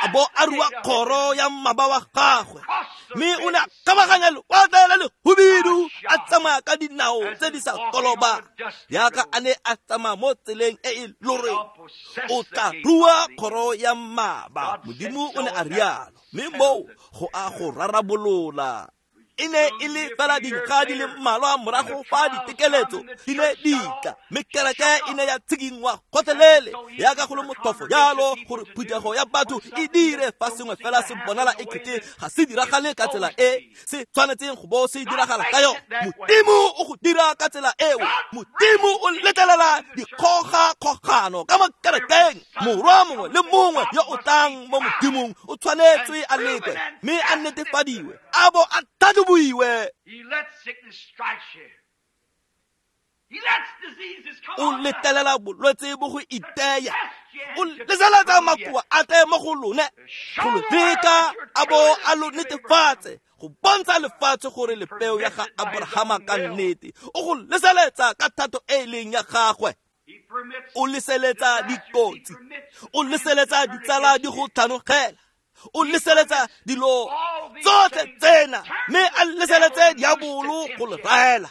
Speaker 1: a bo a rua kgoro ya mmaba wa gagwe, mme o ne a kgabaganya lewatle le lehubidu, a tsamaya ka dinao tse di sa kolobang, jaaka a ne a tsamaya mo tseleng e e loreng. O tla rua kgoro ya mmaba, Modimo o ne a rialo, mme moo go a go rarabolola. E ne e le fela dingwaga di le mmalwa morago fa ditekeletso di ne di tla, mme kereke e ne ya tshikinngwa gotlhelele jaaka go le motlhofo jalo gore phuthego ya batho e dire fa sengwe fela se bonala e kete ga se diragale ka tsela e se tshwanetseng go bo se diragala ka yone. Modimo o go dira ka tsela eo. Modimo o letlelela dikgogakgogano ka mo kerekeng. Morwa mongwe le mongwe yo o tlang mo Modimong o tshwanetswe a lekwe mme a netefadiwe, a bo a tlhatlhobiwe. O letlelela bolwetse bo go iteya, o leseletsa makoa a tle mo go lone, go lo leka a bo a lo netefatse, go bontsha lefatshe gore le peo ya ga Abrahama ka nnete. O go leseletsa ka thato e e leng ya gagwe. O leseletsa dikotsi, o leseletsa ditsala di go tlhanogela, o leseletsa dilo tsotlhe tsena, mme a leseletse diabolo go le raela,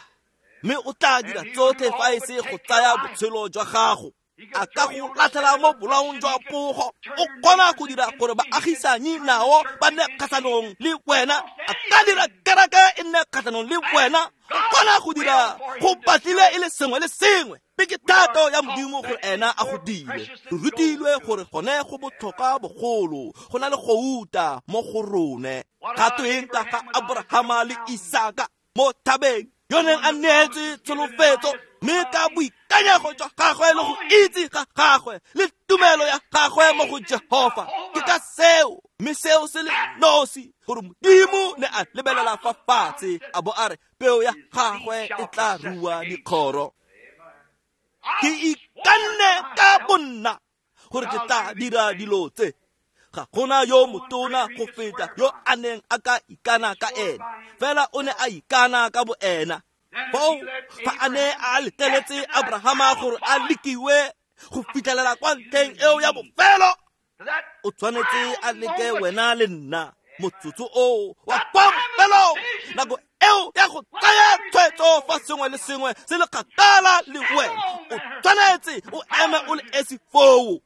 Speaker 1: mme o tla dira tsotlhe fa e se go tsaya botshelo jwa gago. A ka go latlhela mo bolaong jwa pogo, o kgona go dira gore baagisanyi nao ba nne kgatlhanong le wena. A ka dira kereke e nne kgatlhanong le wena. O kgona go dira go batlile e le sengwe le sengwe. Mme ke thato ya Modimo gore ena a go dire. Re rutilwe gore gone go botlhokwa bogolo go na le gouta mo go rone. Ga tweng ka ga Abrahama le Isaka mo thabeng yo neng a neetswe tsholofetso, mme ka boikanyego jwa gagwe le go itse ga gagwe le tumelo ya gagwe mo go Jehofa, ke ka seo, mme seo se le nosi, gore Modimo ne a lebelela fa fatshe a bo a re peo ya gagwe e tla rua dikgoro. Ke ikanne ka bonna gore ke tla dira dilo tse. Ga gona yo motona go feta yo a neng a ka ikana ka ena, fela o ne a ikana ka boena. Foo fa a ne a letleletse Abrahama gore a lekiwe go fitlhelela kwa ntlheng eo ya bofelo, o tshwanetse a leke wena le nna motsotso oo wa kwa bofelong, nako eo ya go tsaya tshwetso fa sengwe le sengwe se le kgakala le wena. O tshwanetse o eme o le esi foo.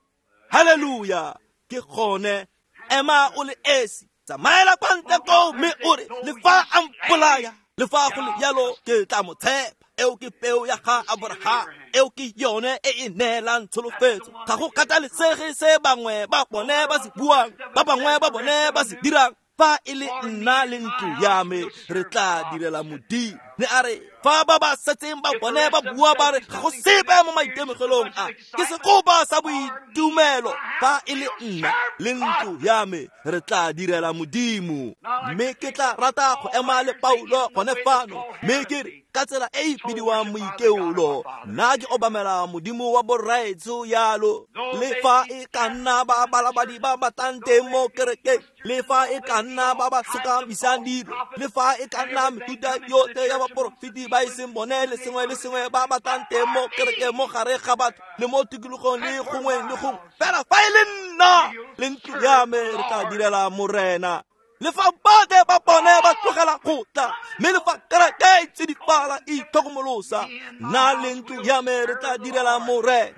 Speaker 1: Haleluya! Ke gone, ema o le esi, tsamaela kwa ntle koo mme o re, le fa a mpolaya, le fa go le jalo ke tla mo tshepa. Eo ke peo ya ga Abraham, eo ke yone e e neelang tsholofetso. Ga go kgathalesege se bangwe ba bone ba se buang, ba bangwe ba bone ba se dirang, fa e le nna le ntlo ya me re tla direla Modimo. Ne a re fa ba ba setseng ba bone ba bua ba re ga go sepe mo maitemogelong a, ke sekopa sa boitumelo. Fa e le nna le ntlo ya me re tla direla Modimo. Mme ke tla rata go ema le Paulo gone fano, mme ke re ka tsela e e bidiwang moikeolo, nna ke obamela Modimo wa borraetsho yalo. Le fa e ka nna ba balabadi ba batlang teng mo kerekeng, le fa e ka nna ba ba sokamisang dilo, le fa e ka nna mefuta yotlhe ya baporofeti ba e seng bone le sengwe le sengwe ba batlang teng mo kerekeng, mo gare ga batho le mo tikologong le gongwe le gongwe, fela fa e le nna le ntlo ya me re tla direla Morena. Le fa botlhe ba bone ba tlogela go tla, mme le fa kereke e tsidifala e itlhokomolosa, nna le ntlo ya me re tla direla Morena.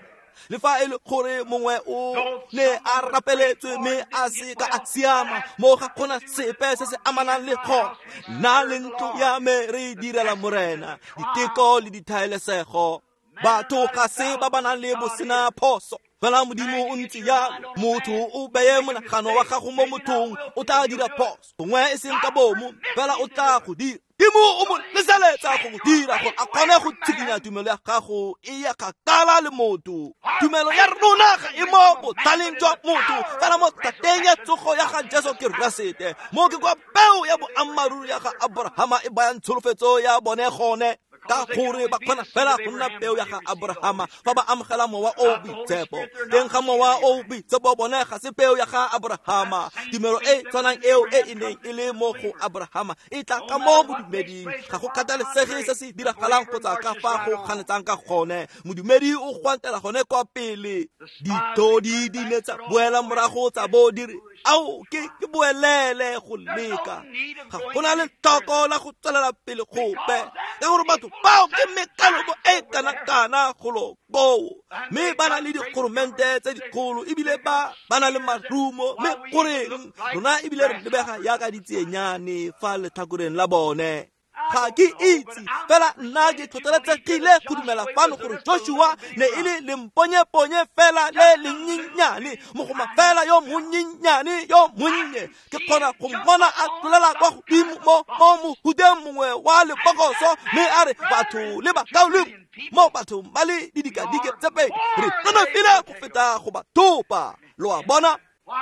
Speaker 1: Le fa e le gore mongwe o ne a rapeletswe mme a se ka a siama, mo ga gona sepe se se amanang le gone, nna le ntlo ya me re direla Morena. Diteko le dithaelesego, batho ga se ba ba nang le bosena phoso, fela Modimo o ntse jalo. Motho o beye monagano wa gago mo mothong, o tla dira phoso, gongwe e seng ka bomo, fela o tla go dira. Modimo Modimo o mo leseletsa go dira gore a kgone go tshikinya tumelo ya gago e ya kgakala le motho. Tumelo ya rona ga e mo botlhaleng jwa motho, fela mo thateng ya tsogo ya ga Jesu Keresete. Mo ke kwa peo ya boammaaruri ya ga Abrahama e bayang tsholofetso ya bone gone, ka gore ba kgona fela go nna peo ya ga Abrahama fa ba amogela mowa o boitshepo. Teng ga mowa o boitshepo bone ga se peo ya ga Abrahama. Tumelo e tshwanang eo e e neng e le mo go Abrahama e tla ka mo bodumeding. Ga go kgathalesege se se diragalang kgotsa ka fa go kganetsang ka gone, modumedi o gwantela gone kwa pele. Ditodi di ne tsa boela morago tsa bo di re, ao ke boelele go leka. Ga gona letlhoko la go tswelela pele gope, ka gore batho bao ke mekalobo e kana-kana golo koo, mme ba na le dikgoromente tse dikgolo ebile ba na le marumo, mme goreng rona ebile re lebega yaka ditsenyane fa letlhakoreng la bone. Ga ke itse, fela nna ke tlhotlheletsegile go dumela fano gore Joshua ne e le lemponyeponye fela le lenyenyane, mogoma fela yo monyenyane yo monnye. Ke kgona go mmona a tlolela kwa godimo mo mohuteng mongwe wa lebokoso, mme a re batho le bakaulengwe mo bathong ba le didikadike tse pedi re nonofile go feta go ba thopa. Lo a bona?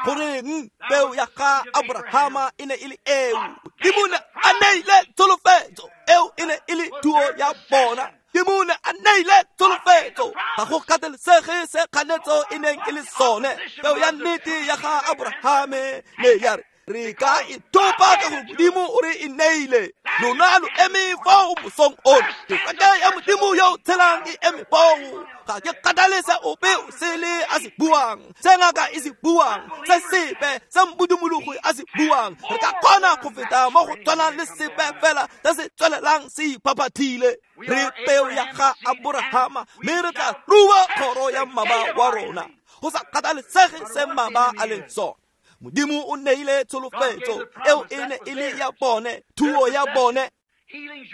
Speaker 1: Goreng peo ya ga Abrahama e ne e le eo? Modimo ne a neile tsholofetso, eo e ne e le thuo ya bona. Modimo ne a neile tsholofetso, ga go kgathalesege se kganetso e neng e le sone. Peo ya nnete ya ga Abrahame ne ya re, re ka e thopa ka gore Modimo o re e neile. Lona lo eme foo mosong ono, kereke ya Modimo yo o tshelang e eme foo. Ga ke kgathale se ope o sele a se buang, se ngaka e se buang, se sepe se modumologi a se buang. Re ka kgona go feta mo go tshwanang le sepe fela se se tswelelang se iphaphathile. Re peo ya ga Abrahama, mme re tla rua kgoro ya mmaba wa rona, go sa kgathalesege se mmaba a leng sone. Modimo o neile tsholofetso, eo e ne e le ya bone, thuo ya bone.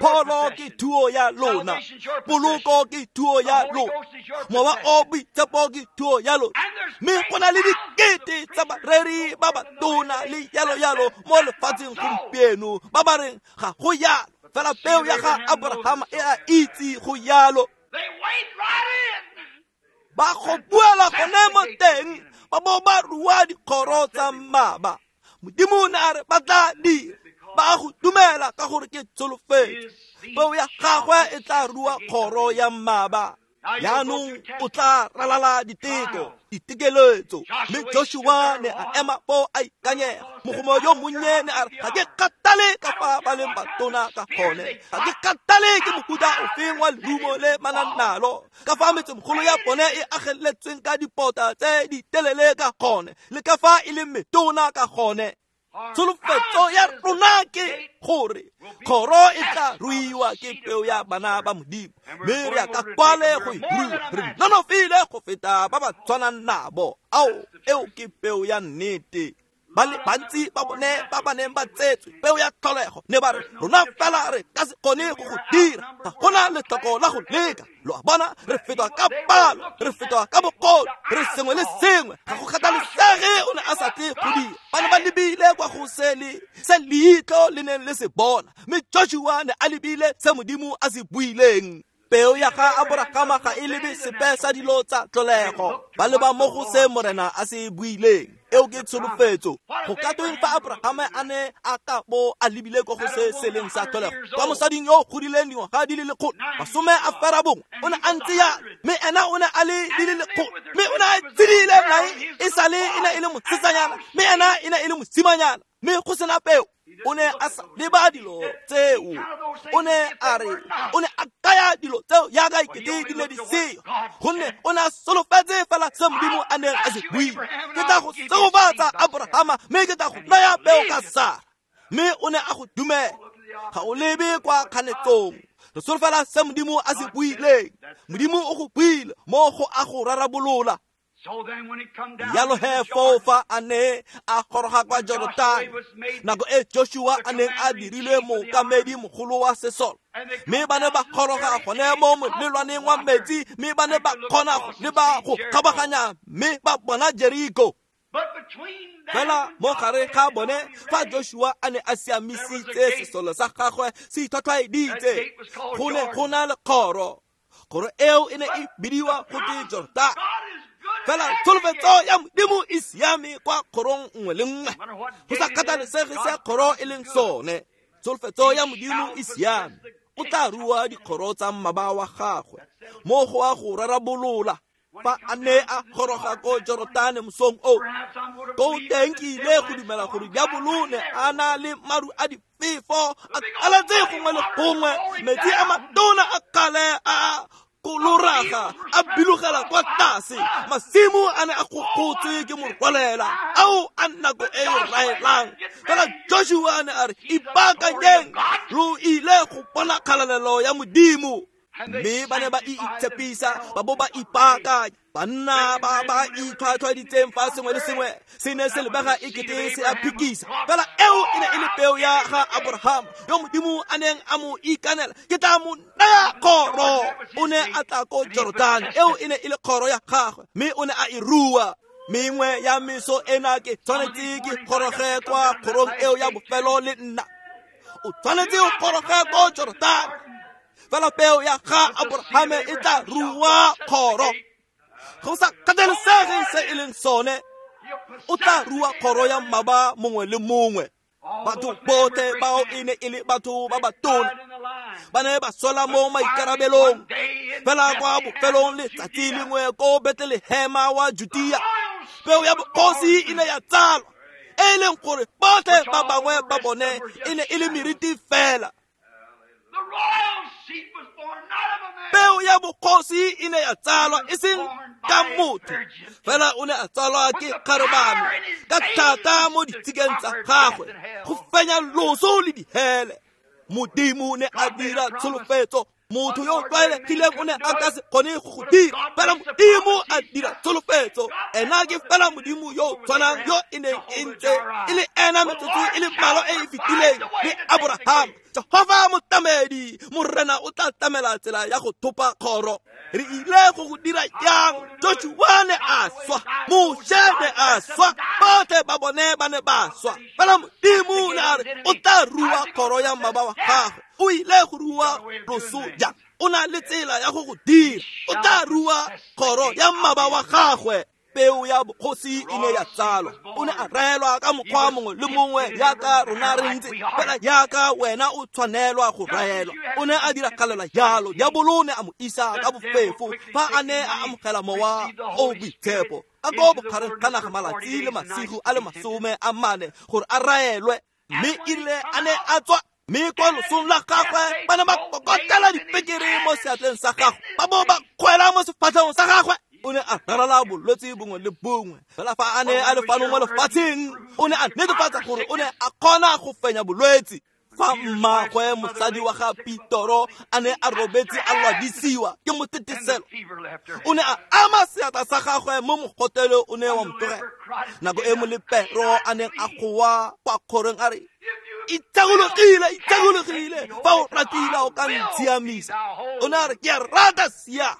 Speaker 1: Pholo ke thuo ya lona, poloko ke thuo ya lona, mowa o boitshepo ke thuo ya lona. Mme go na le dikete tsa bareri ba batona le yalo-yalo mo lefatsheng gompieno ba ba reng ga go yalo, fela peo ya ga Abrahama e a itse go yalo. Ba go buela gone mo teng, ba bo ba rua dikgoro tsa mmaba. Modimo o ne a re ba tla dira, ba go dumela ka gore ke tsholofetso. Peo ya gagwe e tla rua kgoro ya mmaba. Jaanong o tla ralala diteko, ditekeletso. Mme Joshua ne a ema foo a ikanyega. Mogoma yo monnye ne a re, ga ke kgathale ka fa ba leng batona ka gone, ga ke kgathale ke mohuta ofeng wa lerumo le ba nang nalo, ka fa metsemogolo ya bone e ageletsweng ka dipota tse di telele ka gone, le ka fa e leng metona ka gone. Tsholofetso ya rona ke gore kgoro e tla ruiwa ke peo ya bana ba Modimo, mme re ya ka kwale go e rua. Re nonofile go feta ba ba tshwanang nabo. Ao, eo ke peo ya nnete. Ba le bantsi ba bone ba ba neng ba tsetswe peo ya tlholego ne ba re, rona fela re ka se kgone go go dira, ga gona letlhoko la go leka. Lo a bona, re fetwa ka palo, re fetwa ka bokgoni, re sengwe le sengwe. Ga go kgathalesege o ne a sa tle go dira. Ba ne ba lebile kwa go se leitlho le neng le se bona, mme Joshua ne a lebile se Modimo a se buileng. Peo ya ga Abrahama ga e lebe sepe sa dilo tsa tlholego, ba leba mo go se Morena a se buileng. Eo ke tsholofetso. Go ka tweng fa Abrahama a ne a ka bo a lebile ko go se se leng sa tlholego, kwa mosading yo o godileng dingwaga di le 190, o ne a ntse yalo, mme ena o ne a le di le 100, mme o ne a tshedile nae e sale e ne e le mosetsanyana, mme ena e ne e le mosimanyana, mme go sena peo. O ne a sa leba dilo tseo. O ne a re, o ne a kaya dilo tseo yaka ekete di ne di seo, gonne o ne a solofetse fela se Modimo a neng a se buile. Ke tla go segofatsa Abrahama, mme ke tla go naya peo ka Sara. Mme o ne a go dumela. Ga o lebe kwa kganetsong. Re solofela se Modimo a se buileng. Modimo o go buile mo go a go rarabolola. Yalo he foo fa a ne a goroga kwa Jorotane, nako e Joshua a neng a dirilwe mookamedi mogolo wa sesole, mme ba ne ba goroga gone mo molelwaneng wa metsi, mme ba ne ba kgona go leba go kgabaganya, mme ba bona Jeriko. Fela mo gare ga bone fa Joshua a ne a siamisitse sesole sa gagwe se itlhwatlhwaeditse, go ne go na le kgoro. Kgoro eo e ne e bidiwa go te Jordan. Fela tsholofetso ya Modimo e siame kwa kgorong nngwe le nngwe, go sa kgathalesege se kgoro e leng sone. Tsholofetso ya Modimo e siame, o tla rua dikgoro tsa mmaba wa gagwe mo go a go rarabolola. Fa a ne a goroga ko Jorotane mosong o, ko teng ke ile go dumela gore diabolo ne a na le maru a difefo a kaletse gongwe le gongwe, metsi a matona a kgale a koloraga a bilogela kwa tlase, masimo a ne a gogotse ke morwalela ao a nako e e raelang. Fela Joshua ne a re, ipaakanyeng, lo ile go bona kgalalelo ya Modimo. Mme ba ne ba itshepisa, ba bo ba ipaakanya. Banna ba ba itlhwatlhwaditseng fa sengwe le sengwe se ne se lebega e kete se a phikisa. Fela eo e ne e le peo ya ga Abraham yo Modimo a neng a mo ikanela, ke tla mo naya kgoro. O ne a tla ko Jordan, eo e ne e le kgoro ya gagwe, mme o ne a e rua. Mengwe ya meso ena ke tshwanetse ke goroge kwa kgorong eo ya bofelo le nna. O tshwanetse o goroge ko Jordan. Fela peo ya ga Abrahame e tla rua kgoro. Go sa kgathalesege se e leng sone, o tla rua kgoro ya mmaba mongwe le mongwe. Batho botlhe bao e ne e le batho ba batona, ba ne ba sola mo maikarabelong. Fela kwa bofelong letsatsi lengwe ko Bethlehema wa Judea, peo ya bogosi e ne ya tsalwa, e leng gore botlhe ba bangwe ba bone e ne e le meriti fela. Peo ya bogosi e ne ya tsalwa e seng ka motho, fela o ne a tsalwa ke kgarebane ka thata mo ditshikeng tsa gagwe go fenya loso le dihele. Modimo ne a dira tsholofetso, motho yo o tlwaelegileng o ne a ka se kgone go go dira, fela Modimo a dira tsholofetso. Ena ke fela Modimo yo o tshwanang yo e neng e ntse e le ena metsotso e le mmalwa e e fetileng le Abraham. Jehova motlamedi, Morena o tla tlamela tsela ya go thopa kgoro. Re ile go go dira jang? Joshua ne a swa, Moshe ne a swa, botlhe ba bone ba ne ba swa. Fela Modimo ne a re o tla rua kgoro ya mmaba wa gagwe. O ile go rua loso jang? O na le tsela ya go go dira. O tla rua kgoro ya mmaba wa gagwe. Peo ya bogosi e ne ya tsalwa. O ne a raelwa ka mokgwa mongwe le mongwe yaka rona re ntse, fela yaka wena o tshwanelwa go raelwa. O ne a diragalela jalo. Diabolo ne a mo isa ka bofefo fa a ne a amogela mowa o boitshepo ka ko bogareng ga naga malatsi le masigo a le 40 gore a raelwe. Mme e rile a ne a tswa, mme kwa losong la gagwe ba ne ba kokotela dipekere mo seatleng sa gagwe, ba bo ba kgwela mo sefatlhegong sa gagwe. O ne a rarala bolwetse bongwe le bongwe. Fela fa a ne a le fano mo lefatsheng, o ne a netefatsa gore o ne a kgona go fenya bolwetse. Fa mmagwe mosadi wa ga Petoro a ne a robetse a lwadisiwa ke moteteselo, o ne a ama seatla sa gagwe mo mogotelo o ne wa mo tlogela. Nako e molepero a neng a goa kwa kgorong a re, itshegologile, itshegologile, fa o ratile o ka ntshiamisa. O ne a re, ke a rata sia.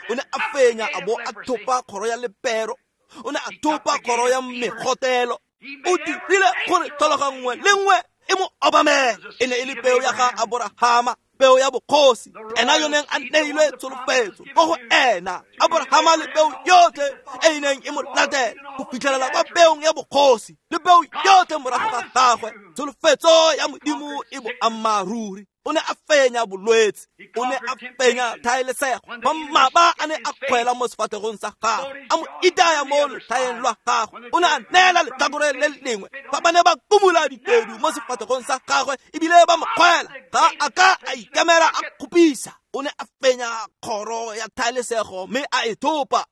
Speaker 1: O ne a fenya a bo a thopa kgoro ya lepero. O ne a thopa kgoro ya megotelo. O dirile gore tlhologa nngwe le nngwe e mo obamele. E ne e le peo ya ga Aborahama, peo ya bogosi, ena yo neng a neilwe tsholofetso ko go ena. Aborahama le peo yotlhe e e neng e mo latela go fitlhelela kwa peong ya bogosi le peo yotlhe morago ga gagwe. Tsholofetso ya Modimo e boammaaruri. O ne a fenya bolwetse, o ne a fenya thaelesego. Fa mmaba a ne a kgwela mo sefatlhegong sa gagwe, a mo itaya mo lotlhaeng lwa gagwe, o ne a neela letlhakore le lengwe. Fa ba ne ba kumula ditedu mo sefatlhegong sa gagwe ebile ba mo kgwela, ga a ka a ikemela a kgopisa. O ne a fenya kgoro ya thaelesego mme a e thopa.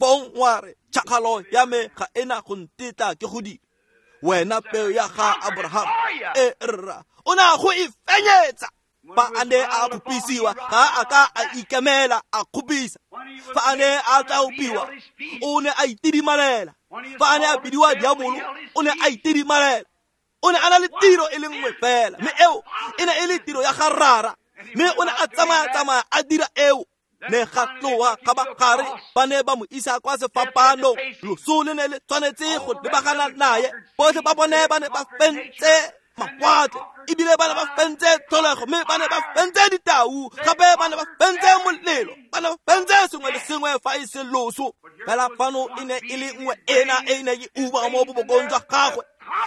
Speaker 1: Fong wa re, tšhakgalo ya me ga ena go ntetla ke go dira. Wena peo ya ga Abraham, e rra, o ne a go e fenyetsa. Fa a ne a kgopisiwa, ga a ka a ikemela a kgopisa. Fa a ne a tlaopiwa, o ne a itidimalela. Fa a ne a bidiwa diabolo, o ne a itidimalela. O ne a na le tiro e le nngwe fela, mme eo e ne e le tiro ya ga rara. Mme o ne a tsamaya-tsamaya a dira eo. Ne ga tloa kgabagare ba ne ba mo isa kwa sefapanong. Loso le ne le tshwanetse go lebagana naye. Botlhe ba bone ba ne ba fentse mawatle, ebile ba ne ba fentse tlholego, mme ba ne ba fentse ditau, gape ba ne ba fentse molelo, ba ne ba fentse sengwe le sengwe fa e se loso. Fela fano e ne e le nngwe ena e ne e uba mo bobokong jwa gagwe,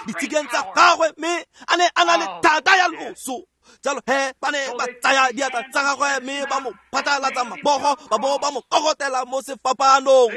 Speaker 1: ditshikeng tsa gagwe, mme a ne a na le thata ya loso. Jalo he ba ne ba tsaya diatla tsa gagwe mme ba mo phatlalatsa mabogo, ba bo ba mo kokotela mo sefapanong.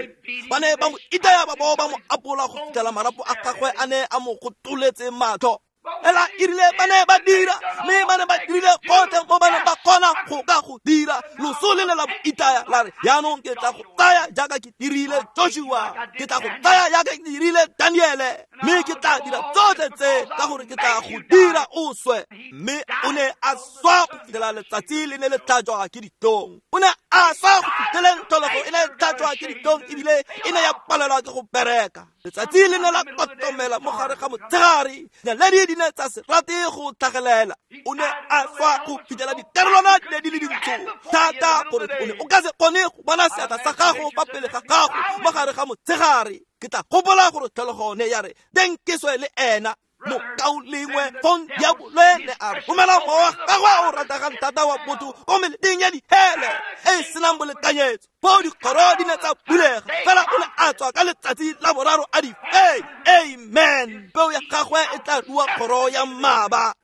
Speaker 1: Ba ne ba mo itaya, ba bo ba mo apola go fitlhela marapo a gagwe a ne a mo gotoletse matlho. Ela erile ba ne ba dira, mme ba ne ba dirile gotlhe mo ba neng ba kgona go ka go dira. Loso le ne la mo itaya la re, jaanong ke tla go tsaya jaaka ke dirile Joshua, ke tla go tsaya jaaka ke dirile Daniele, mme ke tla dira tsotlhe tse ka gore ke tla go dira o swe. Mme o ne a swa go fitlhela letsatsi le ne le tlhajwa ke ditlhong. O ne a swa go fitlheleng tlholego e ne e tlhajwa ke ditlhong, ebile e ne ya palelwa ke go bereka. Letsatsi le ne la kotomela mo gare ga motshegare, naledi di ne tsa se rate go tlhagelela. O ne a swa go fitlhela dikarolwana di ne di le dintsho thata gore o ne o ka se kgone go bona seatla sa gago fa pele ga gago mo gare ga motshegare. Ke tla gopola gore tlholego ne ya re teng ke swe le ena. Mokaulengwe fong diabolo ne a romela mowa gagwe o rategang thata wa botho ko meleteng ya dihele e e senang bolekanyetso. Foo dikgoro di ne tsa bulega, fela o ne a tswa ka letsatsi la boraro a di fenya. Amen. Peo ya gagwe e tla rua kgoro ya mmaba.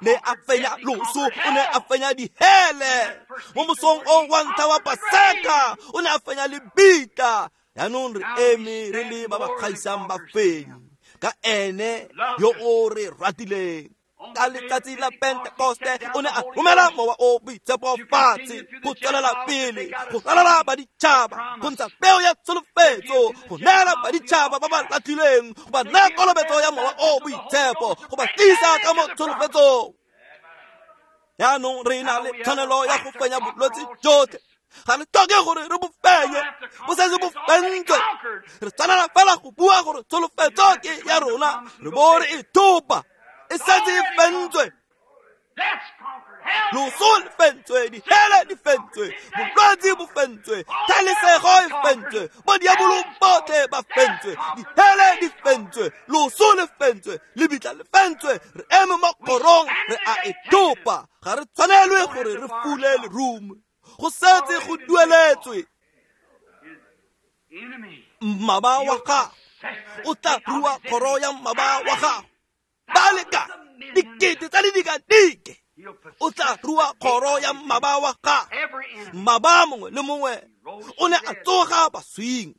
Speaker 1: Ne a fenya loso, o ne a fenya dihele. Mo mosong o wa ntlha wa Paseka, o ne a fenya lebitla. Jaanong re eme re le ba ba gaisang bafenyi ka ene yo o re ratileng. Ka letsatsi la Pentekoste o ne a romela mowa o boitshepo fatshe go tswelela pele go ralala baditšhaba, go ntsha peo ya tsholofetso, go neela baditšhaba ba ba latlhilweng, go ba naya kolobetso ya mowa o boitshepo, go ba tlisa ka mo tsholofetsong. Jaanong re na le tshwanelo ya go fenya bolwetse jotlhe. Ga re tlhoke gore re bo fenye, bo setse bo fentswe. Re tshwanela fela go bua gore tsholofetso ke ya rona, re bo re e thopa, e setse e fentswe. Loso le fentswe, dihele di fentswe, bolwetse bo fentswe, thaelesego e fentswe, bodiabolo botlhe ba fentswe, dihele di fentswe, loso le fentswe, lebitla le fentswe. Re eme mo kgorong, re a e thopa. Ga re tshwanelwe gore re fule lerumo, go setse go dueletswe. Mmaba wa gago o tla rua kgoro ya mmaba wa gago ba leka dikete tsa le dikadike. O tla rua kgoro ya mmaba wa gago. Mmaba mongwe le mongwe o ne a tsoga baswing.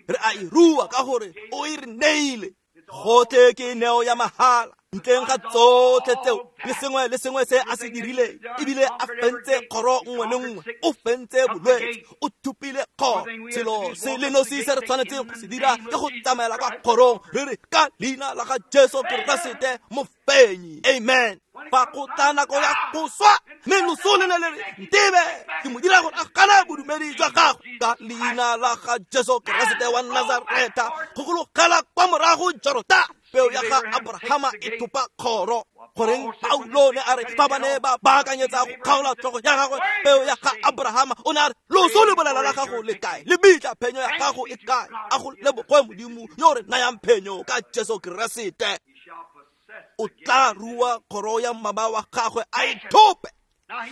Speaker 1: Re a e rua ka gore o e re neile. Gotlhe ke neo ya mahala. Ntleng ga tsotlhe tseo le sengwe le sengwe se a se dirileng, ebile a fentse kgoro nngwe le nngwe, o fentse bolwetse, o thupile kgoro. Selo se le nosi se re tshwanetseng go se dira ke go tsamaela kwa kgorong re re ka leina la ga Jesu Keresete mofenyi. Amen. Fa go tla nako ya go swa, mme loso le ne le re ntebe, ke mo dira gore a gane bodumedi jwa gagwe ka leina la ga Jesu Keresete wa Nazareta, go gologela kwa morago Jordan. Peo ya ga Abrahama e thopa kgoro. Goreng Paulo ne a re fa ba ne ba baakanyetsa go kgaola tlhogo ya gagwe, peo ya ga Abrahama o ne a re loso le bolela la gago le kae, lebitla phenyo ya gago e kae? A go lebogwe Modimo yo re nayang phenyo ka Jesu Keresete. O tla rua kgoro ya mmaba wa gagwe a e thope.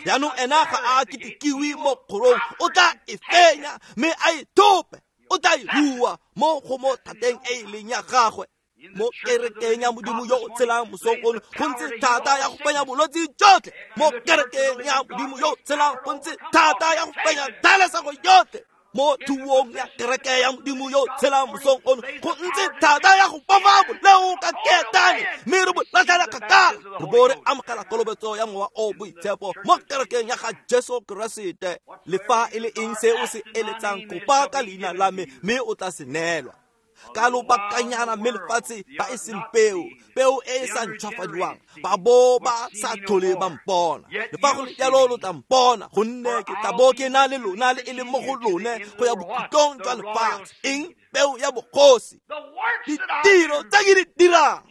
Speaker 1: Jaanong ena ga a ketekiwe mo kgorong, o tla e fenya mme a e thope. O tla e rua mo go mo thateng e e leng ya gagwe. Mo kerekeng ya Modimo yo o tshelang mosong ono go ntse thata ya go fenya bolwetse jotlhe. Mo kerekeng ya Modimo yo o tshelang go ntse thata ya go fenya thaelesego yotlhe. Mo thuong ya kereke ya Modimo yo o tshelang mosong ono go ntse thata ya go bofa boleo ka ketane, mme re bo latlhela kgakala, re bo re amogela kolobetso ya mowa o boitshepo mo kerekeng ya ga Jesu Keresete. Le fa e le eng se o se eletsang, kopa ka leina la me mme o tla se neelwa. Ka lobakanyana mme lefatshe ba e seng peo, peo e e sa ntšhwafadiwang, ba bo ba sa tlhole ba mpona. Le fa go le jalo lo tla mpona, gonne ke tla bo ke na le lona le e le mo go lone go ya bokhutlong jwa lefatshe. Eng? Peo ya bogosi. Ditiro tse ke di dirang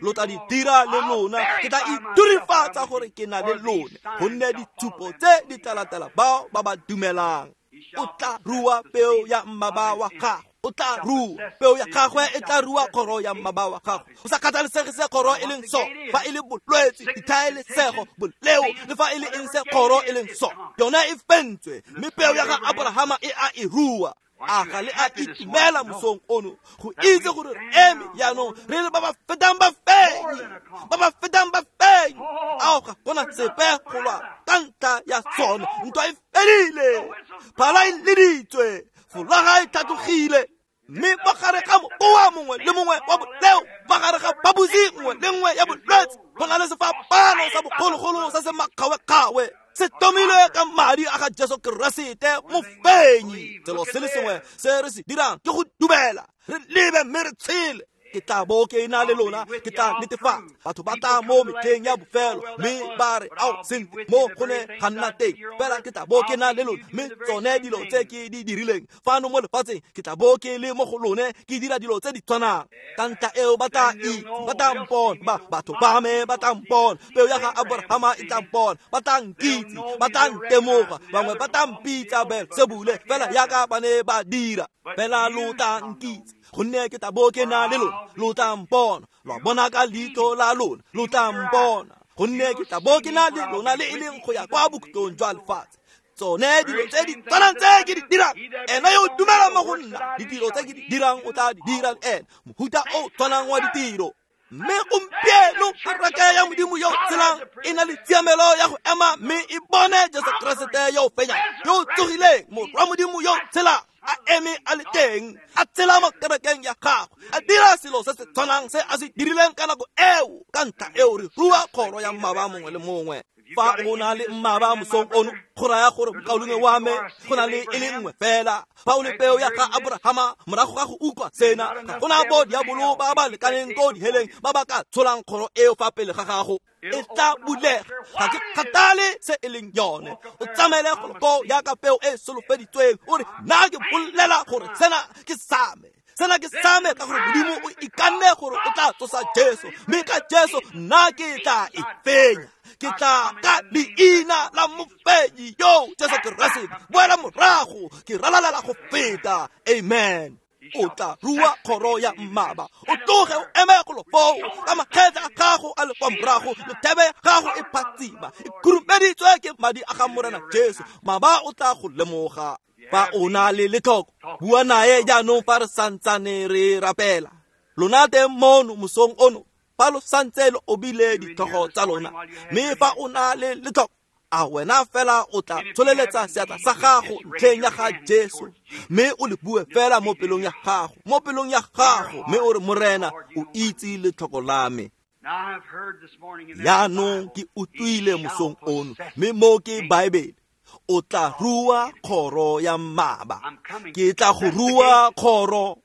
Speaker 1: lo tla di dira le lona. Ke tla iturifatsa gore ke na le lone, gonne ditshupo tse di tla latela bao ba ba dumelang. O tla rua peo ya mmaba wa gago, o tla rua peo ya gagwe, e tla rua kgoro ya mmaba wa gago. O sa kgathalesege se kgoro e leng so, fa e le bolwetse, dithaelesego, boleo, le fa e le eng se kgoro e leng so, yone e fentswe, mme peo ya ga Abrahama e a e rua. A ga le a itumela mosong ono go itse gore re eme jaanong re le ba ba fetang bafenyi, ba ba fetang bafenyi. Ao, ga gona sepe go lwa ka ntlha ya sone. Ntwa e fedile, phala e leditswe, folaga e tlhatlogile, mme fa gare ga mokoa mongwe le mongwe wa boleo, fa gare ga phaposi nngwe le nngwe ya bolwetse, go na le sefapano sa bogologolo se se makgawekgawe, se tomilwe ka madi a ga Jesu Keresete mofenyi. Selo se le sengwe se re se dirang ke go dumela, re lebe mme re tshele. Ke tla bo ke na le lona, ke tla netefatsa. Batho ba tla mo metlheng ya bofelo mme ba re, ao, sentle, mo go ne ga nna teng, fela ke tla bo ke na le lona, mme tsone dilo tse ke di dirileng fano mo lefatsheng, ke tla bo ke le mo go lone, ke dira dilo tse di tshwanang. Ka ntlha eo ba tla itse, ba tla mpona, ba batho ba me ba tla mpona, peo ya ga Abrahama e tla mpona, ba tla nkitse, ba tla ntemoga, bangwe ba tla mpitsa Beelsebule, fela yaka ba ne ba dira. Fela lo tla nkitse, gonne ke tla bo ke na le lona, lo tla mpona, lwa bona ka leitlho la lona, lo tla mpona, gonne ke tla bo ke na le lona le e leng go ya kwa bokhutlong jwa lefatshe. Tsone dilo tse di tshwanang tse ke di dirang, ena yo o dumelang mo go nna, ditiro tse ke di dirang o tla di dira le ena, mohuta o tshwanang wa ditiro. Mme gompieno kereke ya Modimo yo tshelang e na le tshiamelo ya go ema mme e bone Jesu Keresete yo o fenyang, yo o tsogileng, Morwa Modimo yo o tshelang, a eme a le teng, a tshela mo kerekeng ya gagwe, a dira selo se se tshwanang se a se dirileng ka nako eo. Ka ntlha eo re rua kgoro ya mmaba mongwe le mongwe. Fa o na le mmaba mosong ono, go raya gore mokaulengwe wa me go na le e le nngwe fela. Fa o le peo ya ga Abrahama, morago ga go utlwa sena, ga gona bo diabolo ba ba lekaneng ko diheleng ba ba ka tsholang kgoro eo fa pele ga gago. E tla bulega, ga ke kgathale se e leng yone. O tsamaele golo koo yaka peo e solofeditsweng, o re, nna ke bolela gore sena ke sa me, sena ke sa me, ka gore Modimo o ikanne gore o tla tsosa Jesu, mme ka Jesu nna ke tla e fenya. Ke tla ka leina la mofenyi yo Jesu Keresete, boela morago, ke ralalela go feta. Amen. O tla rua kgoro ya mmaba, o tloge o eme golo foo ka makgetla a gago a le kwa morago, lethebe ya gago e phatsima, e khurumeditswe ke madi a ga Morena Jesu. Maba o tla go lemoga. Fa o na le letlhoko, bua nae jaanong fa re santsane re rapela. Lona teng mono mosong ono, fa lo santse lo obile ditlhogo tsa lona, mme fa o na le letlhoko, a wena fela o tla tsholeletsa seatla sa gago ntlheng ya ga Jesu, mme o le bue fela mo pelong ya gago, mo pelong ya gago, mme o re, Morena, o itse letlhoko la me. Jaanong ke utlwile mosong ono, mme mo ke Baebele, o tla rua kgoro ya mmaba. Ke tla go rua kgoro.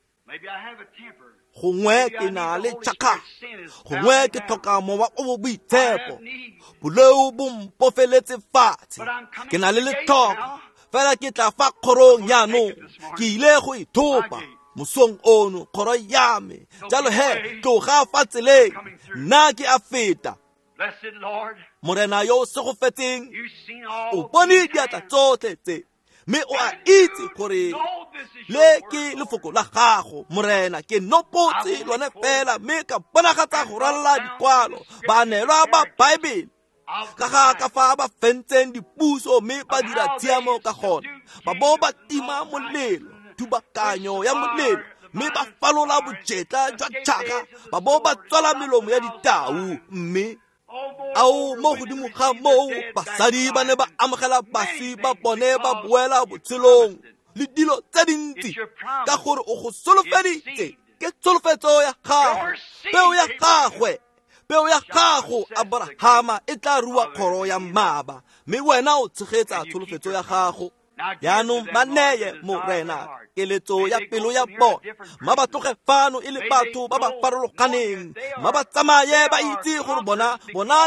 Speaker 1: Gongwe ke na le tšhakga, gongwe ke tlhoka mowa o bo boitshepo, boleo bo mpofeletse fatshe, ke na le letlhoko, fela ke tla fa kgorong jaanong, ke ile go ithopa mosong ono kgoro ya me. Jalo he, tloga fa tseleng, nna ke a feta. Morena yo o segofetseng, o bone diatla tsotlhe tse, mme o a itse gore le ke lefoko la gago. Morena, ke nopotse lone fela, mme ka bonagatsa go ralala dikwalo, baanelwa ba Baebele, ka ga ka fa ba fentseng dipuso mme ba dira tshiamo ka gone, ba bo ba tima molelo, thubakanyo ya molelo, mme ba falola bojetla jwa tšhaka, ba bo ba tswala melomo ya ditau. Mme ao mo godimo ga moo, basadi ba ne ba amogela baswi ba bone ba boela botshelong le dilo tse dintsi, ka gore o go solofeditse. Ke tsholofetso ya gago, peo ya gagwe, peo ya gago Abrahama e tla rua kgoro ya mmaba, mme wena o tshegetsa tsholofetso ya gago. Jaanong ba neye Morena keletso ya pelo ya bona, ma ba tloge fano e le batho ba ba farologaneng, ma ba tsamaye ba itse gore bona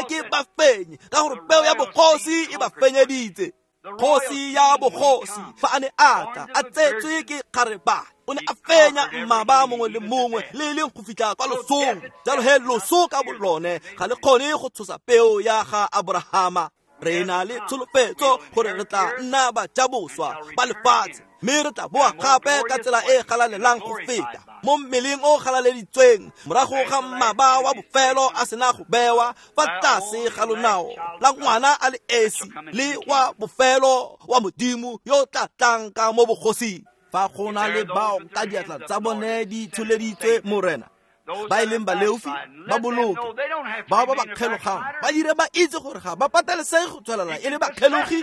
Speaker 1: ke bafenyi, ka gore peo ya bogosi e ba fenyeditse. Kgosi ya bogosi fa a ne a tla a tsetswe ke kgarebane, o ne a fenya mmaba mongwe le mongwe le e leng go fitlha kwa losong. Jalo he loso ka bolone ga le kgone go tshosa peo ya ga Aborahama. Re na le tsholofetso gore re tla nna bajaboswa ba lefatshe, mme re tla boa gape ka tsela e galalelang go feta mo mmeleng o galaleditsweng, morago ga mmaba wa bofelo a sena go bewa fa tlase ga lonao la ngwana a le esi le wa bofelo wa Modimo yo tla tlang ka mo bogosing. Fa go na le bao ka diatla tsa bone di tsholeditswe Morena, ba e leng baleofi ba boloke, bao ba ba kgelogang ba dire ba itse gore ga ba patelesege go tswelela e le bakgelogi.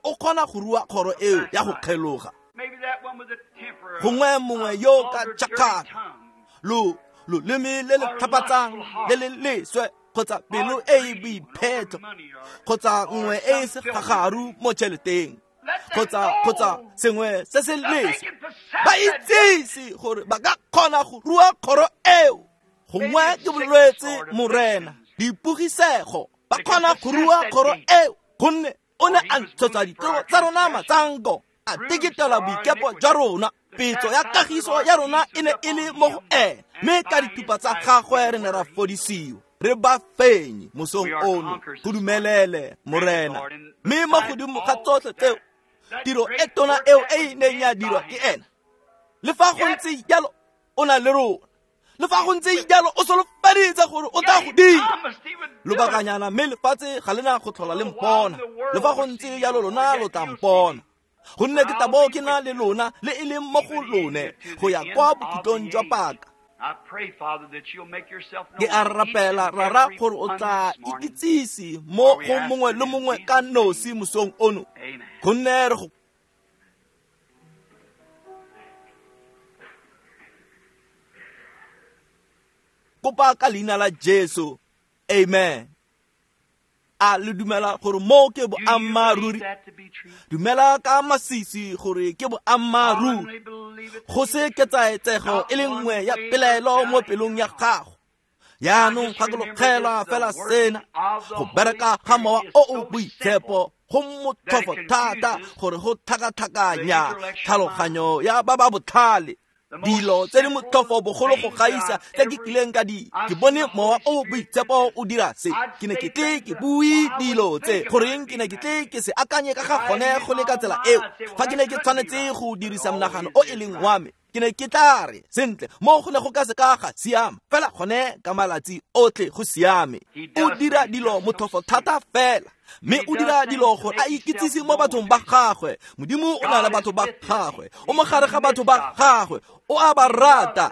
Speaker 1: O kgona go rua kgoro eo ya go kgeloga. Gongwe mongwe yo ka tšhakgalo, loleme le le tlhapatsang le le leswe, kgotsa pelo e e boiphetho, kgotsa nngwe e e segagaru mo tšheleteng, kgotsa sengwe se se leswe, ba itsise gore ba ka kgona go rua kgoro eo. Gongwe ke bolwetse Morena, dipogisego, ba kgona go rua kgoro eo, gonne o ne a ntshetsa ditiro tsa rona matsanko, a teketela boikepo jwa rona. Petso ya kagiso ya rona e ne e le mo go ene, mme ka dithupa tsa gagwe re ne ra fodisiwa. Re ba fenyi mosong ono, go dumelele Morena. Mme mo godimo ga tsotlhe tseo, tiro e tona eo e e neng ya dirwa ke ena, le fa go ntse jalo o na le rona, le fa go ntse jalo o solofeditse gore o tla go dira lobakanyana, mme lefatshe ga le na go tlhola le mpona, le fa go ntse jalo lona lo tla mpona, gonne ke tla bo ke na le lona le e leng mo go lone go ya kwa bokhutlong jwa paka. Ke a rapela Rara gore o tla ikitsise mo go mongwe le mongwe ka nosi mosong ono, gonne re go kopa ka leina la Jesu, amen. A le dumela gore mo ke boammaaruri? Dumela ka masisi gore ke boammaaruri, go se ketsaetsego e le nngwe ya pelaelo mo pelong ya gago. Jaanong gakologelwa fela sena, go bereka ga Mowa o o Boitshepo go motlhofo thata gore go tlhakatlhakanya tlhaloganyo ya ba ba botlhale. Dilo tse di motlhofo bogolo go gaisa tse ke kileng ka di ke bone Mowa o Boitshepo o dira se, ke ne ke tle ke bue dilo tse, goreng ke ne ke tle ke se akanye ka ga gone go le ka tsela eo. Fa ke ne ke tshwanetse go dirisa monagano o e leng wa me, ke ne ke tla re sentle mo go ne go ka se ka ga siama, fela gone ka malatsi otlhe go siame. O dira dilo motlhofo thata fela, mme o dira dilo gore a ikitsise mo bathong ba gagwe. Modimo o na le batho ba gagwe, o mo gare ga batho ba gagwe, o a ba rata,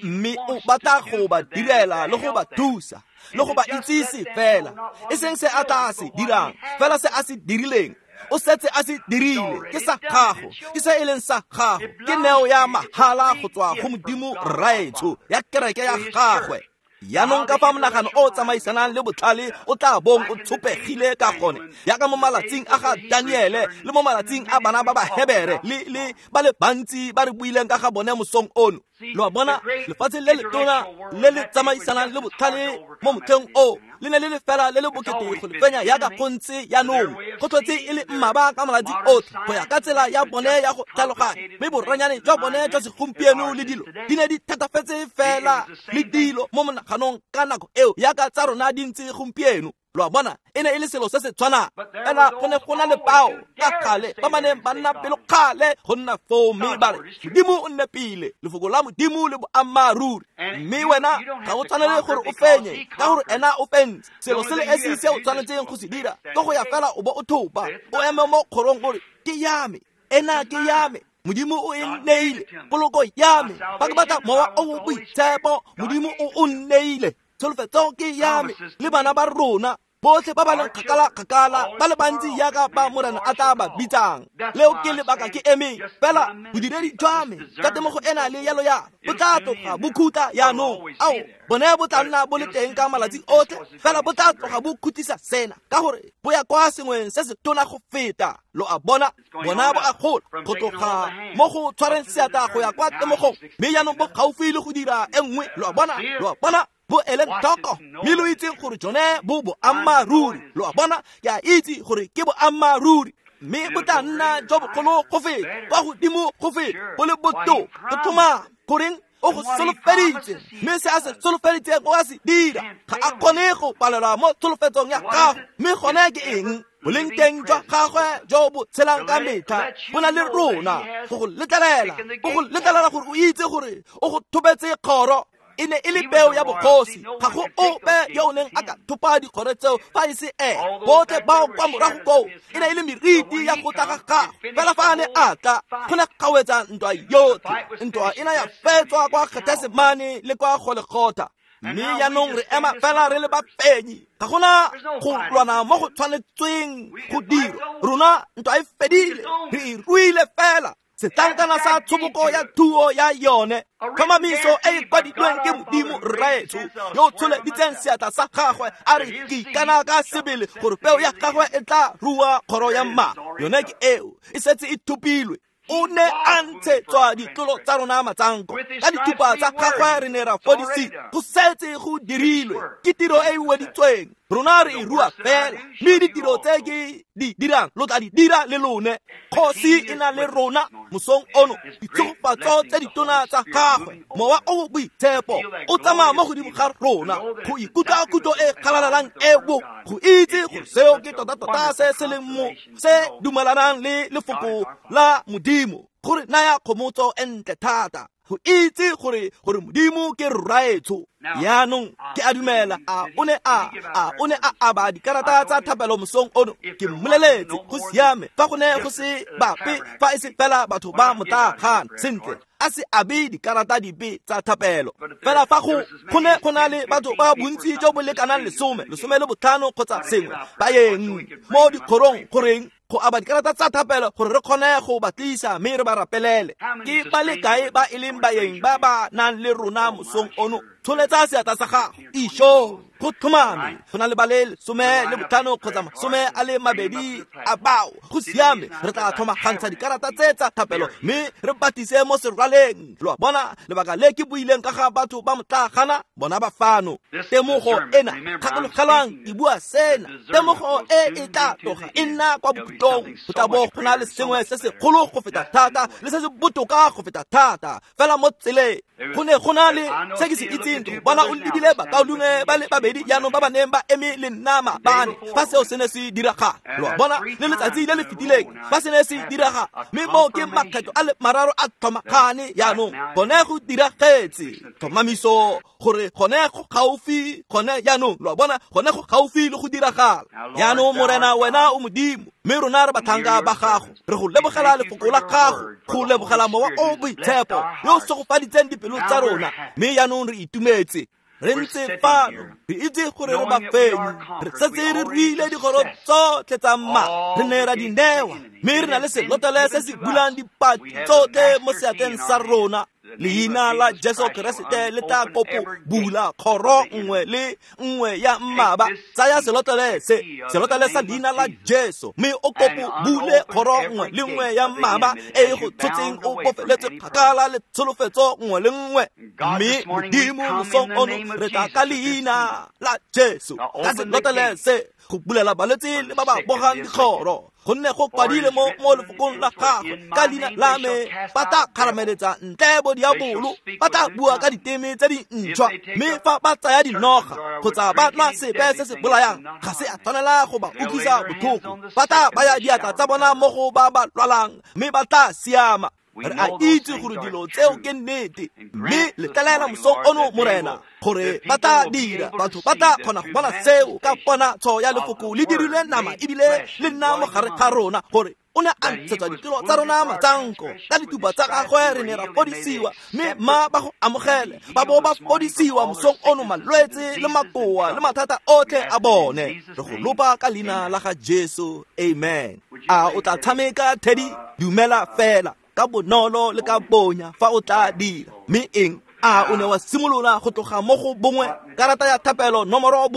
Speaker 1: mme o batla go ba direla le go ba thusa le go ba itsise fela, e seng se a tla se dirang, fela se a se dirileng. O setse a se dirile, ke sa gago, ke se e leng sa gago, ke neo ya mahala go tswa go Modimo Rraetsho ya kereke ya gagwe. Jaanong ka fa monagano o tsamaisanang le botlhale o tla bong o tshopegile ka gone, jaaka mo malatsing a ga Daniele le mo malatsing a bana ba Bahebere le ba le bantsi ba re buileng ka ga bone mosong ono. Lo a bona, lefatshe le letona le le tsamaisanang le botlhale mo motlheng o le ne le le fela le le bokete go le fenya jaaka go ntse jaanong. Go tlhotse e le mmaba ka malatsi otlhe go ya ka tsela ya bone ya go tlhaloganya, mme boranyane jwa bone jwa segompieno le dilo di ne di thatafetse fela le dilo mo monaganong ka nako eo jaaka tsa rona di ntse gompieno. Lo a bona, e ne e le selo se se tshwanang, fela go ne go na le bao ka gale ba ba neng ba nna pelokgale go nna foo, mme ba re Modimo o nne pele, lefoko la Modimo le boammaaruri, mme wena ga o tshwanele gore o fenye ka gore ena o fentse. Selo se le esi se o tshwanetseng go se dira ke go ya fela o bo o thopa, o eme mo kgorong gore ke ya me, ena ke ya me, Modimo o e nneile, poloko ya me. Fa ke batla Mowa o o Boitshepo, Modimo o o nneile, tsholofetso ke ya me le bana ba rona. Botlhe ba ba leng kgakala-kgakala ba le bantsi jaaka ba Morena a tla ba bitsang. Leo ke lebaka ke emeng fela bodiredi jwa me ka temogo ena le yalo yalo bo tla tloga bo khutla jaanong. Ao, bone bo tla nna bo le teng ka malatsi otlhe, fela bo tla tloga bo khutlisa sena ka gore bo ya kwa sengweng se se tona go feta. Lo a bona, bona bo a gola go tloga mo go tshwareng seatla go ya kwa temogong, mme jaanong bo gaufi le go dira e nngwe. Lo a bona, lo a bona, bo eleng tlhoko, mme lo itseng gore jone bo boammaaruri. Lo a bona, ke a itse gore ke boammaaruri, mme bo tla nna jo bogolo go feta, kwa godimo go feta, bo le botoka go tlhomama. Goreng o go solofeditse, mme se a se solofeditseng o a se dira. Ga a kgone go palelwa mo tsholofetsong ya gago. Mme gone ke eng? Boleng teng jwa gagwe jo bo tshelang ka metlha bo na le rona go go letlelela, bo go letlelela gore o itse gore o go thobetse kgoro. E ne e le peo ya bogosi, ga go ope yo o neng a ka thopa dikgoro tseo fa e se ene. Botlhe bao kwa morago koo e ne e le meriti ya go tla ga gagwe. Fela fa a ne a tla, go ne ga wetsa ntwa yotlhe. Ntwa e ne ya fetswa kwa Getesemane le kwa Golegotha. Mme jaanong re ema fela re le bafenyi. Ga gona go lwana mo go tshwanetsweng go dirwa. Rona ntwa e fedile, re e ruile fela. Setlankana sa tshoboko ya thuo ya yone, tlhomamiso e e kwadilweng ke Modimo Rraetsho yo o tsholeditseng seatla sa gagwe a re ke ikana ka sebele gore peo ya gagwe e tla rua kgoro ya mma. Yone ke eo, e setse e thopilwe. O ne a ntshetswa ditlolo tsa rona matsanko, ka dithupa tsa gagwe re ne ra fodisiwa. Go setse go dirilwe, ke tiro e e weditsweng. Rona re e rua fela, mme ditiro tse ke di dirang lo tla di dira le lone. Kgosi e na le rona mosong ono, ditshegofatso tse ditona tsa gagwe, Mowa o Boitshepo o tsamaya mo godimo ga rona go ikutlwa kutlo e galalelang eo, go itse gore seo ke tota-tota se se leng mo se dumelanang le lefoko la Modimo, gore naya kgomotso e ntle thata go itse gore Modimo ke Rraetsho. Jaanong ke a dumela a o ne a aba dikarata tsa thapelo mosong ono. Ke mmoleletse go siame fa go ne go se bape fa e se fela batho ba motlaagan. Sentle, a se abe dikarata dipe tsa thapelo. Fela fa go ne go na le batho ba bontsi jo bo lekanang 15 kgotsa sengwe ba yeng mo dikgorong goreng go aba dikarata tsa thapelo gore re kgone go ba tlisa mme re ba rapelele. Ke ba le kae ba e leng baeng ba ba nang le rona mosong ono? Tsholetsa seatla sa gago. Isho, go tlhomame go na le ba le 15 kgotsa 22 a bao. Go siame, re tla tlhomagantsha dikarata tse tsa thapelo mme re batise mo serwaleng. Lo a bona lebaka le ke buileng ka ga batho ba motlagana, bona ba fano. Temogo ena, gakologelwang ke bua sena, temogo e e tla tloga e nna kwa bokhutlong. Go tla bo go na le sengwe se segolo go feta thata le se se botoka go feta thata fela mo tseleng. Go ne go na le se ke se itseng, go bona o lebile bakaulengwe ba le babedi jaanong ba ba neng ba eme le nna maabane fa seo se ne se diragala. Lo a bona, le letsatsi le le fetileng fa se ne se diragala, mme moo ke makgetho a le mararo a tlhomagane jaanong. Gone go diragetse tlhomamiso gore gone go gaufi gone jaanong. Lo a bona, gone go gaufi le go diragala. Jaanong Morena, wena o Modimo, mme rona re batlhanka ba gago. Re go lebogela lefoko la gago, go lebogela Mowa o Boitshepo yo o segofaditseng dipelo tsa rona, mme jaanong re itumetse. Re ntse fano re itse gore re bafenyi, re setse re ruile dikgoro tsotlhe tsa mma, re ne ra di newa, mme re na le selotlele se se bulang dipati tsotlhe mo seatleng sa rona. Leina la Jesu Keresete le tla kopo bula kgoro nngwe le nngwe ya mmaba. Tsaya selotlele se, selotlele sa leina la Jesu, mme o kopo bule kgoro nngwe le nngwe ya mmaba e e go tshotseng o bofeletse kgakala le tsholofetso nngwe le nngwe. Mme Modimo mosong ono re tla ka leina la Jesu ka selotlele se go bulela balwetse le ba ba bogang dikgoro, gonne go kwadile mo lefokong la gagwe, ka leina la me ba tla kgarameletsa ntle bo diabolo, ba tla bua ka diteme tse dintšhwa, mme fa ba tsaya dinoga kgotsa ba nwa sepe se se bolayang ga se a tshwanela go ba utlwisa botlhoko, ba tla baya diatla tsa bona mo go ba ba lwalang mme ba tla siama. Re a itse gore dilo tseo ke nnete, mme letlelela mosong ono Morena gore ba tla dira, batho ba tla kgona go bona seo ka ponatsho ya lefoko le dirilwe nama ebile le nna mo gare ga rona, gore O ne a ntshetsa ditiro tsa rona matsanko ka ditupa tsa gagwe re ne ra fodisiwa, mme ma ba go amogele ba bo ba fodisiwa mosong ono malwetse le makoa le mathata otlhe a bone. Re go lopa ka leina la ga Jesu, amen. A o tla tshameka Teddy? Dumela fela ka bonolo le ka bonya fa o tla dira. Mme eng? A o ne wa simolola go tloga mo go bongwe, karata ya thapelo nomoro 1,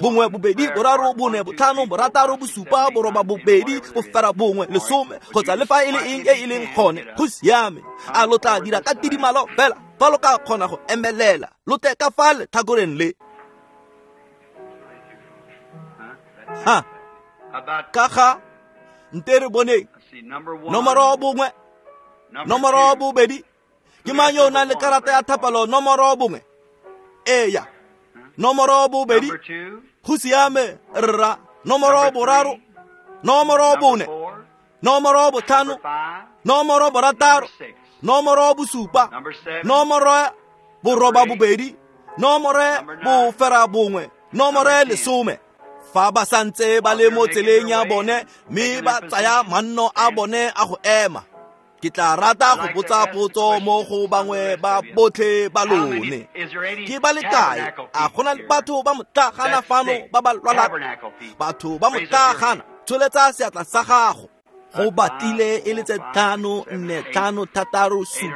Speaker 1: 1, 2, 3, 4, 5, 6, 7, 8, 9, 10, kgotsa le fa e le eng e e leng gone, go siame. A lo tla dira ka tidimalo fela fa lo ka kgona go emelela, lo tle ka fa letlhakoreng le. Ha ka ga nte re boneng nomoro 1, nomoro 2. Ke mang yo o nang le karata ya thapelo nomoro 1? Eya. Nomoro 2. Go siame rra. Nomoro 3, nomoro 4, nomoro 5, nomoro 6, nomoro 7, nomoro 8, nomoro 9, nomoro 10. Fa ba santse ba le mo tseleng ya bone mme ba tsaya manno a bone a go ema, ke tla rata go botsa potso mo go bangwe ba botlhe ba lone. Ke ba le kae? A go na le batho ba motlagana fano ba ba lwalang? Batho ba motlagana, tsholetsa seatla sa gago. Go batlile e le tse 5, 4, 5, 6, 7,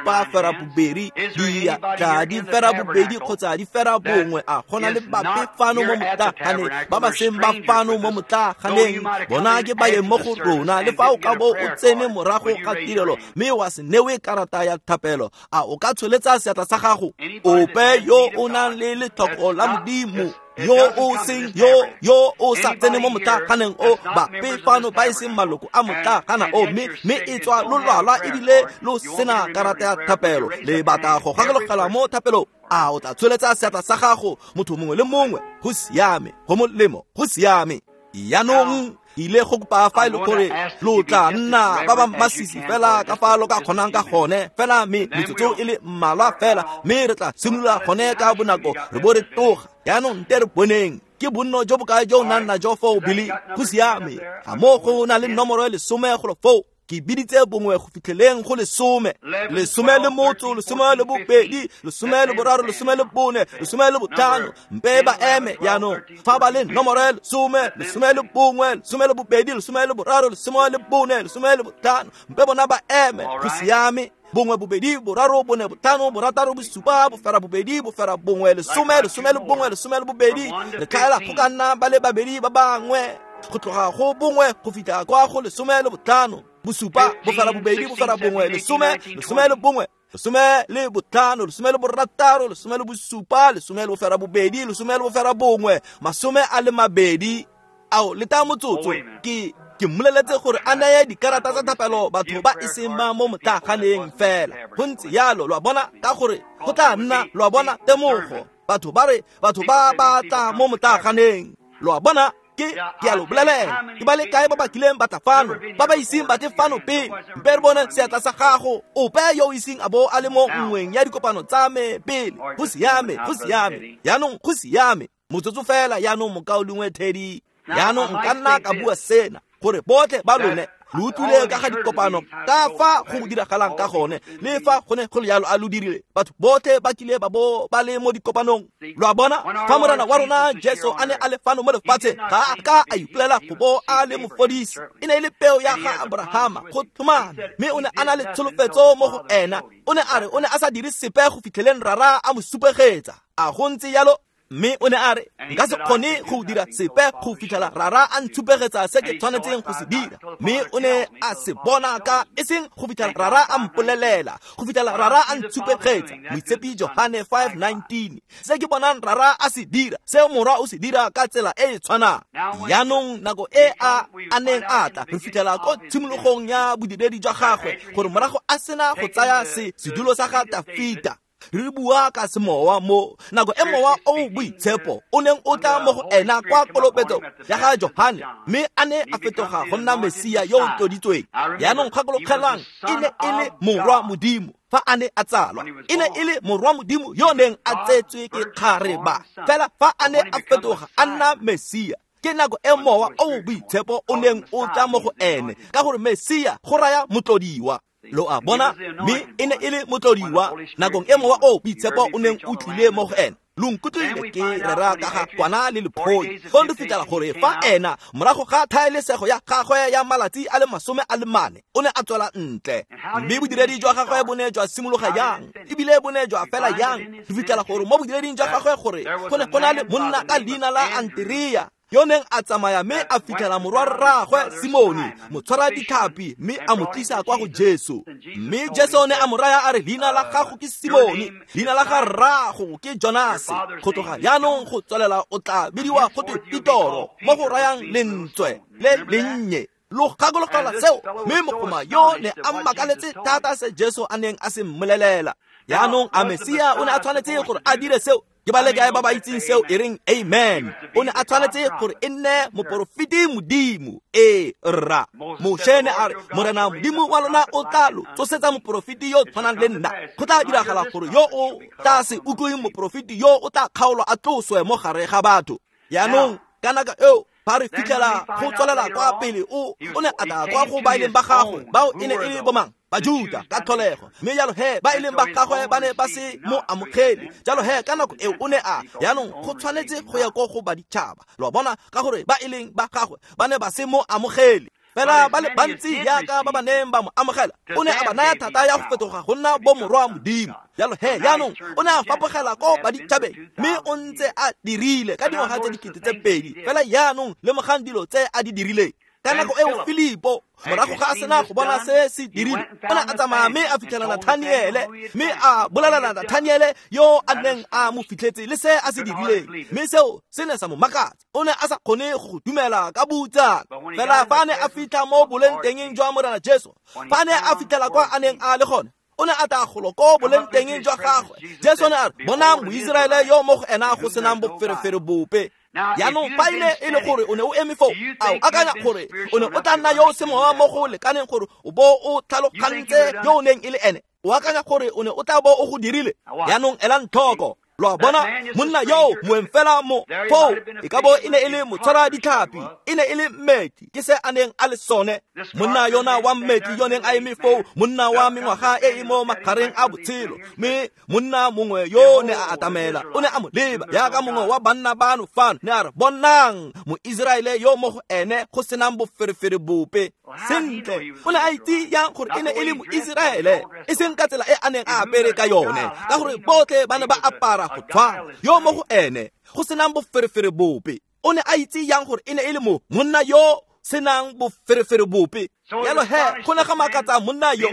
Speaker 1: 8, diatla di 8 kgotsa di 9. A go na le bape fano mo motlaganeng ba ba seng ba fano mo motlaganeng? Bona ke baeng mo go rona. Le fa o ka bo o tsene morago ga tirelo mme wa se newe karata ya thapelo, a o ka tsholetsa seatla sa gago? Ope yo o nang le letlhoko la Modimo, yo o seng yo o sa tsene mo motlaganeng o, bape fano ba e seng maloko a motlagana o, mme e tswa lo lwalwa ebile lo sena karata ya thapelo, le batla go gakologela mo thapelong, a o tla tsholetsa seatla sa gago? Motho mongwe le mongwe, go siame, go molemo, go siame. Jaanong ile go kopa fa e le gore lo tla nna ba ba masisi fela ka fa lo ka kgonang ka gone fela, mme metsotso e le mmalwa fela, mme re tla simolola gone ka bonako re bo re tloga. Jaanong nte re boneng ke bonno jo bokae jo o nang najo foo, Billy? Go siame. Ga mo go na le nomoro e 10 golo foo. Ke biditse 1 go fitlheleng go 10, 12, 12, 13, 14, 15. Mpe ba eme jaanong fa ba le nomoro e 10, 11, 12, 13, 14, 15. Mpe bona ba eme. Go siame. 1, 2, 3, 4, 5, 6, 7, 8, 9, 10, 11, 12. Re tlhaela go ka nna ba le babedi ba bangwe go tloga go 1 go fitlha kwa go 15. 7, 8, 9, 10, 11, 15, 16, 17, 18, 20. Ao leta motsotso, ke mmoleletse gore a neye dikarata tsa thapelo batho ba e seng ba mo motlaganeng fela. Go ntse yalo, lo a bona, ka gore go tla nna, lo a bona, temogo. Batho ba re batho ba ba tla mo motlaganeng, lo a bona. Ke a lo bolelela, ke ba le kae ba ba kileng ba tla fano, ba ba iseng ba tle fano pele? Mpe re bone seatla sa gago. Ope yo o iseng a bo a le mo nngweng ya dikopano tsa me pele. Go siame, go siame. Jaanong go siame. Motsotso fela jaanong, mokaulengwe Teddy. Jaanong nka nna ka bua sena gore botlhe ba lone lo utlwile ka ga dikopano, ka fa go diragalang ka gone, le fa gone go le jalo a lo dirile. Batho botlhe ba kile ba bo ba le mo dikopanong. Lo a bona, fa Morena wa rona Jesu a ne a le fano mo lefatsheng, ga a ka a ipolela go bo a le mofodisi. E ne e le peo ya ga Abrahama go tlhomame, mme o ne a na le tsholofetso mo go ena. O ne a re o ne a sa dire sepe go fitlheleng Rara a mo supegetsa. A go ntse jalo? Mme o ne a re nka se kgone go dira sepe go fitlhela Rara a ntshupegetsa se ke tshwanetseng go se dira. Mme o ne a se bona ka e seng go fitlhela Rara a mpolelela, go fitlhela Rara a ntshupegetsa. Moitshepi Johane 5:19. Se ke bonang Rara a se dira, se Morwa o se dira ka tsela e e tshwanang. Jaanong nako e a neng a tla, re fitlhela ko tshimologong ya bodiredi jwa gagwe gore morago a sena go tsaya sedulo sa ga Tafita. Re bua ka semowa mo nako e mowa o boitshepo o neng o tla mo go ena kwa kolobetso ya ga Johane, mme a ne a fetoga go nna Mesia yo o tloditsweng. Jaanong gakologelwang, e ne e le Morwa Modimo fa a ne a tsalwa, e ne e le Morwa Modimo yo neng a tsetswe ke kgareba. Fela fa a ne a fetoga a nna Mesia, Ke nako e mowa o boitshepo o neng o tla mo go ene, ka gore Mesia go raya motlodiwa. Lo a bona, mme e ne e le motlodiwa nakong e mowa o boitshepo o neng o tlile mo go ene. Lo nkutlwile ke rera ka ga kwana le lephoi. Fong re fitlhela gore fa ena morago ga thaelesego ya gagwe ya malatsi a le 40 o ne a tswela ntle, mme bodiredi jwa gagwe bo ne jwa simologa yang ebile bo ne jwa fela yang. Re fitlhela gore mo bodireding jwa gagwe gore go ne go na le monna ka leina la Anterea yo neng a tsamaya mme a fitlhela morwarraagwe Simone motshwara ditlhapi, mme a mo tlisa kwa go Jesu. Mme Jesu ne a mo raya a re, leina la gago ke Simone, leina la ga rraago ke Jonase, go tloga jaanong go tswelela o tla bidiwa go twe Petoro, mo go rayang lentswe le lennye. Lo gakologelwa seo? Mme mogoma yo ne a mmakaletse thata se Jesu a neng a se mmolelela. Jaanong a Mesia o ne a tshwanetse gore a dire seo? Ke ba le kae ba ba itseng seo e reng amen? O ne a tshwanetse gore e nne moporofeti Modimo. Ee, rra. Moshe ne a re, Morena Modimo wa lona o tla lo tsosetsa moporofeti yo tshwanang le nna. Go tla diragala gore yo o tla se utlweng moporofeti yo o tla kgaolwa a tloswe mo gare ga batho. Jaanong ka nako eo fa re fitlhela go tswelela kwa pele, o ne a tla kwa go ba e leng ba gagwe, bao e ne e le bomang? Bajuta ka tlholego. Mme jalo he ba e leng ba gagwe ba ne ba se mo amogele. Jalo he ka nako eo o ne a jaanong go tshwanetse go ya ko go baditšhaba. Lo a bona, ka gore ba e leng ba gagwe ba ne ba se mo amogele. Fela ba le bantsi jaaka ba ba neng ba mo amogela, o ne a ba naya thata ya go fetoga go nna bomorwa Modimo. Jalo he jaanong o ne a fapogela ko baditšhabeng, mme o ntse a dirile ka dingwaga tse 2000. Fela jaanong lemogang dilo tse a di dirileng. Ka nako eo Filipo morago ga a sena go bona se se dirile, o ne a tsamaya mme a fitlhela Nathaniele, mme a bolelela Nathaniele yo a neng a mo fitlhetse le se a se dirileng, mme seo se ne sa mo makatsa. O ne a sa kgone go dumela ka boutsana. Fela fa a ne a fitlha mo boleng tengeng jwa Morena Jesu, fa a ne a fitlhela kwa a neng a le gone, o ne a tla golo ko boleng tengeng jwa gagwe. Jesu ne a re, bonang Moiseraele yo mo go ena go senang boferefere bope. Jaanong fa e ne e le gore o ne o eme foo, a o akanya gore o ne o tla nna yo o semowa mo go lekaneng gore o bo o tlhalogantse yo o neng e le ene? O akanya gore o ne o tla bo o go dirile? Jaanong elang tlhoko. Lo a bona, monna yo moeng fela mo foo e ka bo e ne e le motshwara ditlhapi, e ne e le mmetli, ke se a neng a le sone. Monna yona wa mmetli yo neng a eme foo, monna wa mengwaga e e mo magareng a botshelo, mme monna mongwe yo ne a atamela, o ne a mo leba jaaka mongwe wa banna bano fano, ne a re, bonang Moiseraele yo mo go ene go senang boferefere bope. Sentle, o ne a itse yang gore e ne e le Moiseraele, e seng ka tsela e a neng a apere ka yone, ka gore botlhe ba ne ba apara go tshwana. Yo mo go ene go senang boferefere bope, o ne a itse yang gore e ne e le mo monna yo senang boferefere bope? Jalo he go ne ga makatsa monna yo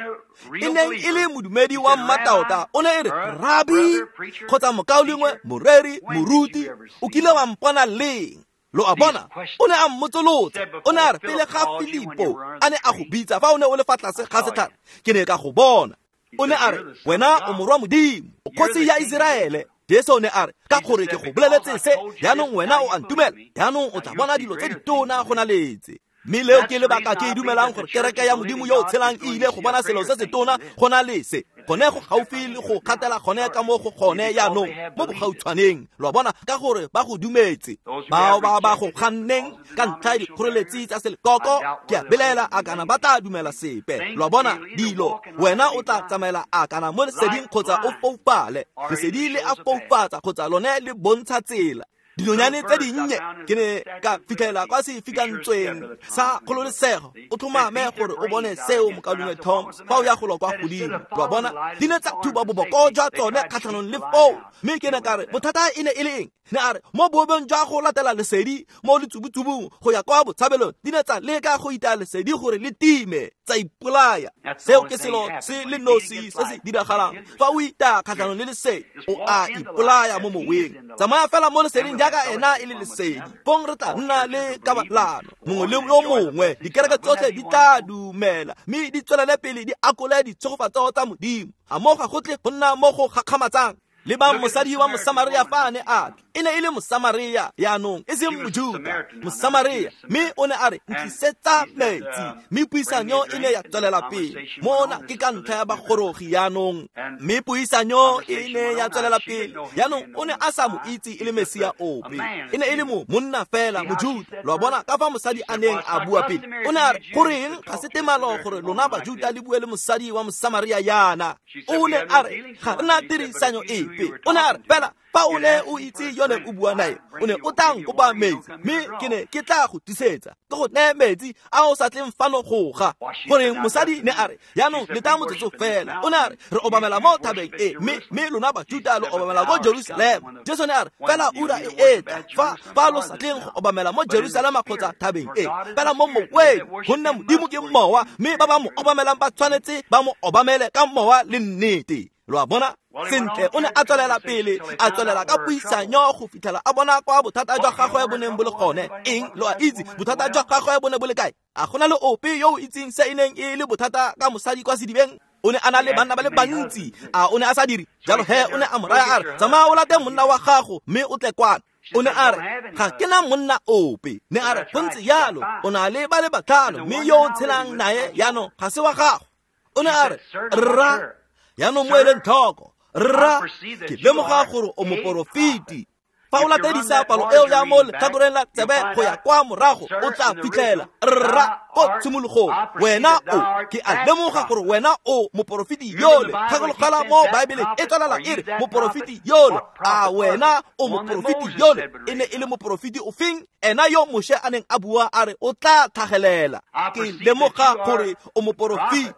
Speaker 1: e neng e le modumedi wa mmataota. O ne e re, rabi kgotsa mokaulengwe, moreri, moruti, o kile wa mpona leng? Lo a bona, o ne a mmotsolotsa. O ne a re, pele ga Filipo a ne a go bitsa fa o ne o le fa tlase ga setlhare, ke ne ka go bona. O ne a re, wena o morwa Modimo, o kgosi ya Iseraele. Jesu o ne a re, ka gore ke go boleletse se, jaanong wena o a ntumela, jaanong o tla bona dilo tse ditona go na letse. Mme leo ke lebaka ke e dumelang gore kereke ya Modimo yo o tshelang e ile go bona selo se se tona go na le se. Gone go gaufi le go kgatela gone ka mo go gone jaanong mo bogautshwaneng. Lo a bona, ka gore ba go dumetse. Bao ba ba go ganneng ka ntlha ya dikgoreletsi tsa selekoko, ke a belaela a kana ba tla dumela sepe. Lo a bona, dilo, wena o tla tsamaela a kana mo leseding kgotsa o foufale. Lesedi le a foufatsa kgotsa lone le bontsha tsela. Dinonyane tse dinnye ke ne ka fitlhela kwa sefikantsweng sa kgololesego. O tlhomame gore o bone seo, mokaulengwe Tom, fa o ya golo kwa godimo. Lo a bona, di ne tsa thuba boboko jwa tsone kgatlhanong le foo. Mme ke ne ka re, bothata e ne e le eng? Ne a re, mo boobeng jwa go latela lesedi mo letsubutsubung go ya kwa botshabelong, di ne tsa leka go itaya lesedi gore le time, tsa ipolaya. Seo ke selo se le nosi se se diragalang fa o itaya kgatlhanong le lesedi, o a ipolaya mo moweng. Tsamaya fela mo leseding jaaka ena e le lesedi, fong re tla nna le kabalano mongwe le yo mongwe. Dikereke tsotlhe di tla dumela mme di tswelele pele di akole ditshegofatso tsa Modimo. A mo ga go tle go nna mo go gakgamatsang? Lebang mosadi wa Mosamaria fa a ne a tla, e ne e le Mosamaria yaanong, e seng Mojuta, Mosamaria, mme o ne a re ntlisetsa metsi, mme puisanyo e ne ya tswelela pele. Mona ke ka ntlha ya bagorogi yaanong, mme puisanyo e ne ya tswelela pele. Yaanong o ne a sa mo itse e le Mesia ope, e ne e le monna fela Mojuta. Lo a bona ka fa mosadi a neng a bua pele, o ne a re goreng ga se temalo gore lona Bajuta le bue le mosadi wa Mosamaria yana. O ne a re ga re na tirisanyo epe. O ne a re fela fa o ne o itse yone o bua nae, o ne o tla nkopa metsi, mme ke ne ke tla go tisetsa, ke go neye metsi a o sa tleng fano go ga. Goreng mosadi ne a re yaanong leta motsotso fela. O ne a re re obamela mo thabeng e, mme lona Bajuta lo obamela ko Jerusalema. Jesu ne a re fela ura e etla fa lo sa tleng go obamela mo Jerusalema kgotsa thabeng e, fela mo moweng, gonne Modimo ke mowa, mme ba ba mo obamelang ba tshwanetse ba mo obamele ka mowa le nnete. Lo a bona? Sentle, o ne a tswelela pele, a tswelela ka puisanyo go fitlhela a bona kwa bothata jwa gagwe bo neng bo le gone. Eng? Lo a itse bothata jwa gagwe bo ne bo le kae? A gona le ope yo o itseng se e neng e le bothata ka mosadi kwa sedibeng? O ne a na le banna ba le bantsi, a o ne a sa dire jalo? He o ne a mo raya a re tsamaya o late monna wa gago mme o tle kwana. O ne a re ga ke na monna ope. Ne a re go ntse jalo, o na le ba le batlhano, mme yo o tshelang nae yaanong ga se wa gago. O ne a re rra, yaanong mo eleng tlhoko, rra, ke lemoga gore o moporofeti. Fa o latedisa palo eo ya mo letlhakoreng la tsebe go ya kwa morago, o tla fitlhela rra ko tshimologong. Wena o, ke a lemoga gore wena o moporofeti yole. Gakologelwa mo Baebeleng e tswelela e re moporofeti yole. A wena o moporofeti yole? E ne e le moporofeti ofeng? Ena yo Moshe a neng a bua a re o tla tlhagelela. Ke lemoga gore o moporofeti.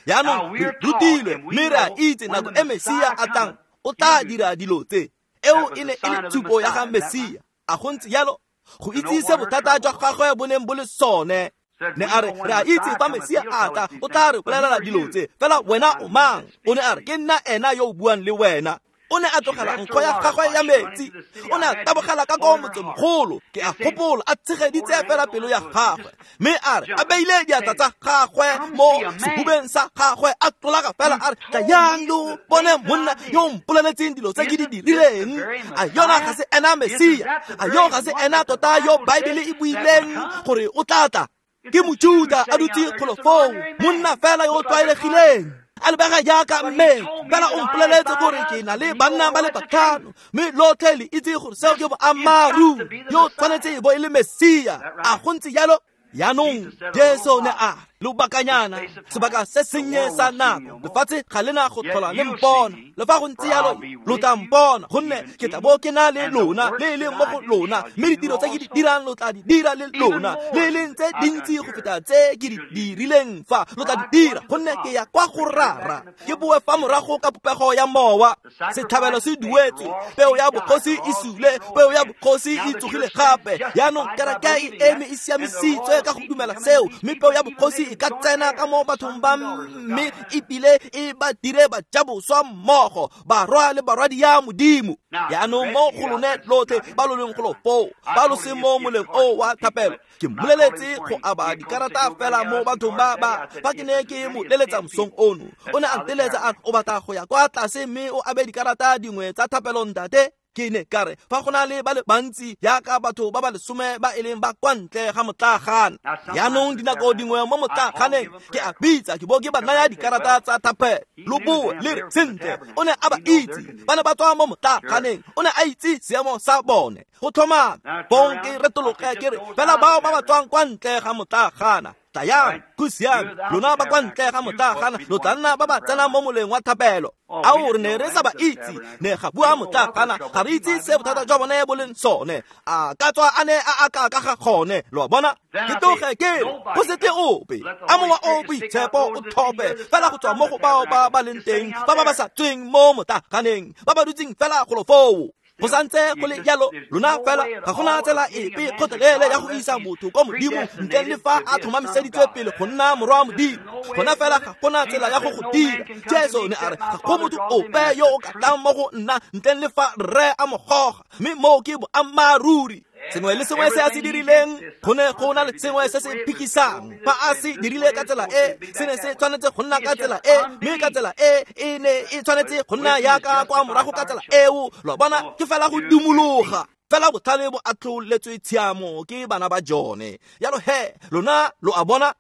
Speaker 1: Yaanong re rutilwe mme re a itse nako e Mesia a tlang o tla dira dilo tse. Eo e ne e le tshupo ya ga Mesia. A go ntse jalo? Go itse se bothata jwa gagwe bo neng bo le sone. Ne a re re a itse fa Mesia a tla o tla re bolelela dilo tse, fela wena o mang? O ne a re ke nna ena yo o buang le wena. O ne a tlogela nkgo ya gagwe ya metsi, o ne a tabogela ka ko motsemogolo, ke a gopola a tshegeditse fela pelo ya gagwe, mme a re a beile diatla tsa gagwe mo sehubeng sa gagwe, a tlolaga fela a re tlayang lo bone monna yo o mpoleletseng dilo tse ke di dirileng. A yona ga se ena Mesia? A yo ga se ena tota yo Baebele e buileng gore o tla tla? Ke Mojuta a dutse kgolofong, monna fela yo o tlwaelegileng, a lebega jaaka mme, fela o mpoleletse gore ke na le banna ba le batlhano, mme lotlhe le itse gore seo ke boammaaruri, yo tshwanetse e bo e le Mesia. A go ntse jalo? Yaanong Jesu ne a lobakanyana, sebaka se sennye sa nako, lefatshe ga le na go tlhola le mpona. Le fa go ntse jalo, lo tla mpona, gonne ke tla bo ke na le lona, le e leng mo go lona, mme ditiro tse ke di dirang lo tla di dira le lona, le e leng tse dintsi go feta tse ke di dirileng fa lo tla di dira, gonne ke ya kwa go Rara. Ke boe fa morago ka popego ya mowa. Setlhabelo se duetswe, peo ya bogosi e sule, peo ya bogosi e tsogile gape. Yaanong kereke e eme e siamisitswe ka go dumela seo, mme peo ya bogosi e ka tsena ka mo bathong ba, mme ebile e ba dire bajaboswa mmogo, barwa le barwadi ya Modimo. Yaanong mo go lone lotlhe ba lo leng golo foo, ba lo seng mo moleng o wa thapelo, ke mmoleletse go aba dikarata fela mo bathong ba ba fa ke ne ke mo leletsa mosong ono. O ne a nteletsa a re o batla go ya kwa tlase mme o abe dikarata dingwe tsa thapelo ntate. Ke ne ka re fa go na le ba le bantsi jaaka batho ba ba lesome ba e leng ba kwa ntle ga motlaaganeng. Yaanong dinako dingwe mo motlaaganeng ke a bitsa ke bo ke ba naya dikarata tsa thapelo. Lo boe le re sentle, o ne a ba itse, ba ne ba tswa mo motlaaganeng, o ne a itse seemo sa bone. Go tlhomame bong ke retologe ke re fela bao ba ba tswang kwa ntle ga motlaagana, tlayang, go siame, lona ba kwa ntle ga motlaagana lo tla nna ba ba tsenang mo moleng wa thapelo. Ao re ne re sa ba itse, ne ga bua motlaagana, ga re itse se bothata jwa bone bo leng sone, a ka tswa a ne a aka ka ga gone. Lo a bona? Ke tloge ke re go se tle ope, a mowa o boitshepo o thope fela go tswa mo go bao ba ba leng teng, ba ba sa tsweng mo motlaaganeng, ba ba dutseng fela golo foo. Go santse go le jalo, lona fela ga gona tsela epe kgotlelele ya go isa motho kwa Modimo ntle le fa a tlhomamiseditswe pele go nna morwa wa Modimo. Gona fela ga gona tsela ya go go dira. Jesu ne a re ga go motho ope yo o ka tlang mo go nna ntle le fa Rre a mo goga, mme moo ke boammaaruri. Sengwe le sengwe se a se dirileng go ne go na le sengwe se se phikisang. Fa a se dirile ka tsela e, se ne se tshwanetse go nna ka tsela e, mme ka tsela e e ne e tshwanetse go nna yaka kwa morago ka tsela eo. Lo bona, ke fela go dumologa. Fela botlhale bo atlholetswe tshiamo ke bana ba jone. Jalo he, lona lo a bona.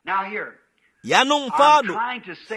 Speaker 1: Yaanong fano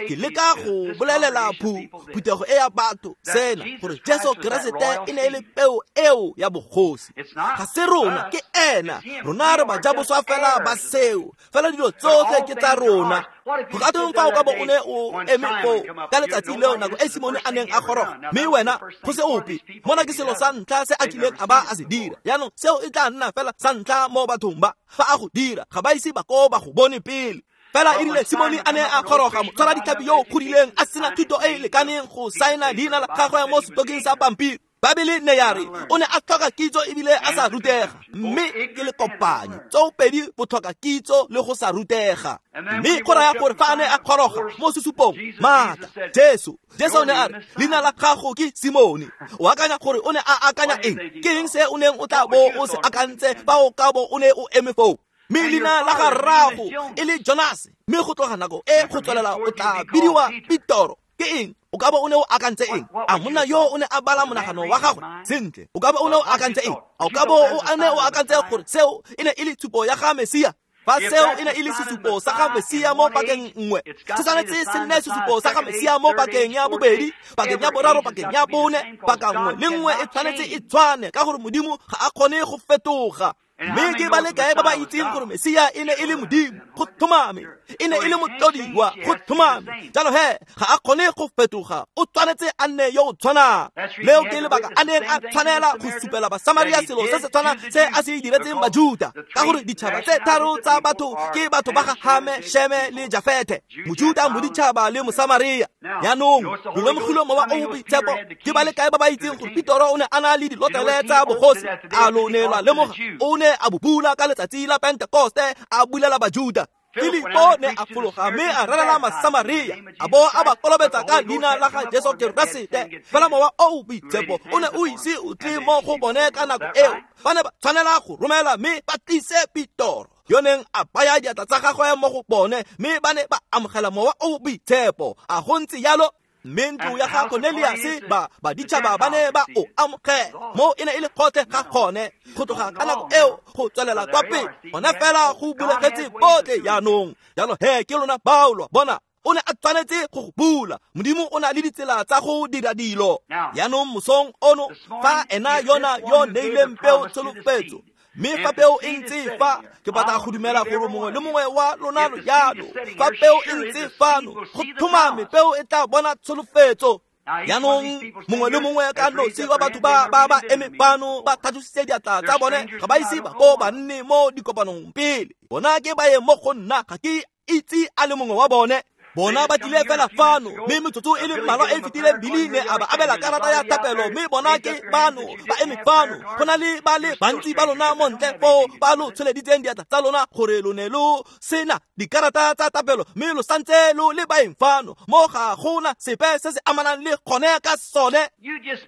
Speaker 1: ke leka go bolelela phuthego e ya batho sena, gore Jesu Keresete e ne e le peo eo ya bogosi. Ga se rona, ke ena. Rona re bajaboswa fela ba seo. Fela dilo tsotlhe ke tsa rona. Go ka tweng fa o ka bo o ne o eme foo ka letsatsi leo nako e Simone a neng a goroga, mme wena go se ope. Mona ke selo sa ntlha se a kileng a ba a se dira. Jaanong seo e tla nna fela sa ntlha mo bathong ba. Fa a go dira, ga ba ise ba ko ba go bone pele. Fela e rile Simone a ne a goroga, motshwara ditlhapi yo o godileng a sena thuto e e lekaneng go saena leina la gagwe mo setokeng sa pampiri. Baebele ne ya re o ne a tlhoka kitso ebile a sa rutega, mme ke le kopanyo tsoopedi botlhoka kitso le go sa rutega. Mme go raya gore fa a ne a goroga mo sesupong maatla, Jesu o ne a re leina la gago ke Simone. O akanya gore o ne a akanya eng? Ke eng se o neng o tla bo o se akantse fa o ka bo o ne o eme foo? Mme leina la ga rrago e le Jonas, mme go tloga nako e go tswelela o tla bidiwa Petoro. Ke eng? O ka bo o ne o akantse eng? A monna yo o ne a bala monagano wa gagwe sentle? O ka bo o ne o akantse eng? A o ka bo o ne o akantse gore seo e ne e le tshupo ya ga Mesia? Fa seo e ne e le sesupo sa ga Mesia mo pakeng nngwe, se tshwanetse se nne sesupo sa ga Mesia mo pakeng ya bobedi, pakeng ya boraro, pakeng ya bone. Paka nngwe le nngwe e tshwanetse e tshwane, ka gore Modimo ga a kgone go fetoga. Mme ke ba le kae ba ba itseng gore Mesia e ne e le Modimo? Go tlhomame. E ne e le motlodiwa, go tlhomame. Jalo he, ga a kgone go fetoga, o tshwanetse a nne yo o tshwanang. Leo ke lebaka a neng a tshwanela go supela Basamaria selo se se tshwanang se a se diretseng Bajuda, ka gore ditšhaba tse tharo tsa batho ke batho ba ga Hame, Sheme le Jafethe, Mojuda, moditšhaba le Mosamaria. Jaanong lo lemogile mowa o o boitshepo. Ke ba le kae ba ba itseng gore Petoro o ne a na le dilotlele tsa bogosi? A lo ne lwa lemoga? O ne a bo bula ka letsatsi la Pentekoste, a bulela Bajuda. Filipo ne a fologa mme a rerela Masamaria, a bo a ba kolobetsa ka leina la ga Jesu Keresete. Fela mowa o o boitshepo o ne o ise o tle mo go bone ka nako eo. Ba ne ba tshwanela go romela mme ba tlise Petoro, yo neng a baya diatla tsa gagwe mo go bone, mme ba ne ba amogela mowa o o boitshepo. A go ntse jalo? Mme ntlo ya ga Cornelius ba baditšhaba ba ne ba o amogela. Mo e ne e le gotlhe ga gone go tloga ka nako eo go tswelela kwa pele. Gone fela go bulegetse botlhe jaanong. Jalo he ke lona bao, lo bona. O ne a tshwanetse go go bula. Modimo o na le ditsela tsa go dira dilo. Jaanong mosong ono, fa ena yona yo neileng peo tsholofetso, mme fa peo e ntse fa, ke batla go dumela gore mongwe le mongwe wa lona lo jalo. Fa peo e ntse fano, go tlhomame peo e tla bona tsholofetso. Jaanong mongwe le mongwe ka nosi wa batho ba ba ba eme fano ba tlhatlositse diatla tsa bone, ga ba ise ba ko ba nne mo dikopanong pele. Bona ke ba ye mo go nna, ga ke itse a le mongwe wa bone. Bona ba tlile fela fano, mme metsotso e le mmalwa e fetileng Billy ne a ba abela karata ya thapelo, mme bona ke bano ba eme fano. Go na le ba le bantsi ba lona mo ntle foo ba lo tsholeditseng diatla tsa lona gore lo ne lo sena dikarata tsa thapelo, mme lo santse lo le baeng fano. Mo ga gona sepe se se amanang le gone ka sone.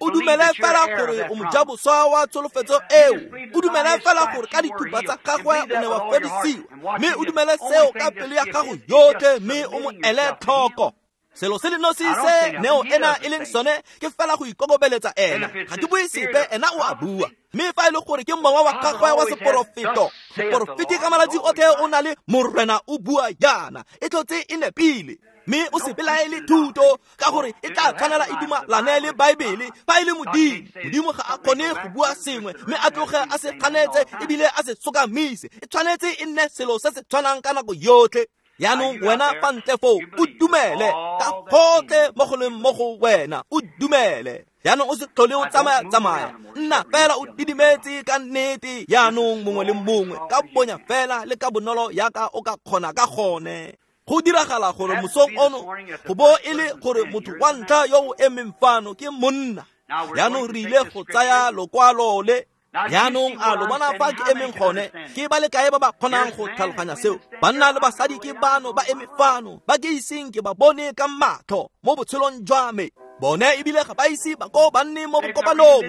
Speaker 1: O dumele fela gore o mojaboswa wa tsholofetso eo. O dumele fela gore ka dithupa tsa gagwe o ne wa fodisiwa, mme o dumele seo ka pelo ya gago yotlhe, mme o mo ele tlhoko. Selo se le nosi se neo ena e leng sone ke fela go ikokobeletsa ena. Ga ke bue sepe, ena o a bua. Mme fa e le gore ke mowa wa gagwe wa seporofeto, moporofeti ka malatsi otlhe o na le Morena o bua jaana, e tlotse e nepile. Mme o se belaele thuto, ka gore e tla tshwanela e dumalane le Baebele. Fa e le Modimo, Modimo ga a kgone go bua sengwe mme a tloge a se ganetse ebile a se sokamise. E tshwanetse e nne selo se se tshwanang ka nako yotlhe. Jaanong wena fa ntle foo o dumele ka gotlhe mo go leng mo go wena, o dumele. Jaanong o se tlhole o tsamaya-tsamaya, nna fela o didimetse ka nnete. Jaanong mongwe le mongwe ka bonya fela le ka bonolo yaka o ka kgona ka gone. Go diragala gore mosong ono go bo e le gore motho wa ntlha yo o emeng fano ke monna. Jaanong re ile go tsaya lokwalo le. Jaanong a lo bona fa ke emeng gone, ke ba le kae ba ba kgonang go tlhaloganya seo? Banna le basadi ke bano ba eme fano, ba ke iseng ke ba bone ka matlho mo botshelong jwa me. Bone ebile ga ba ise ba ko ba nne mo bokopanong,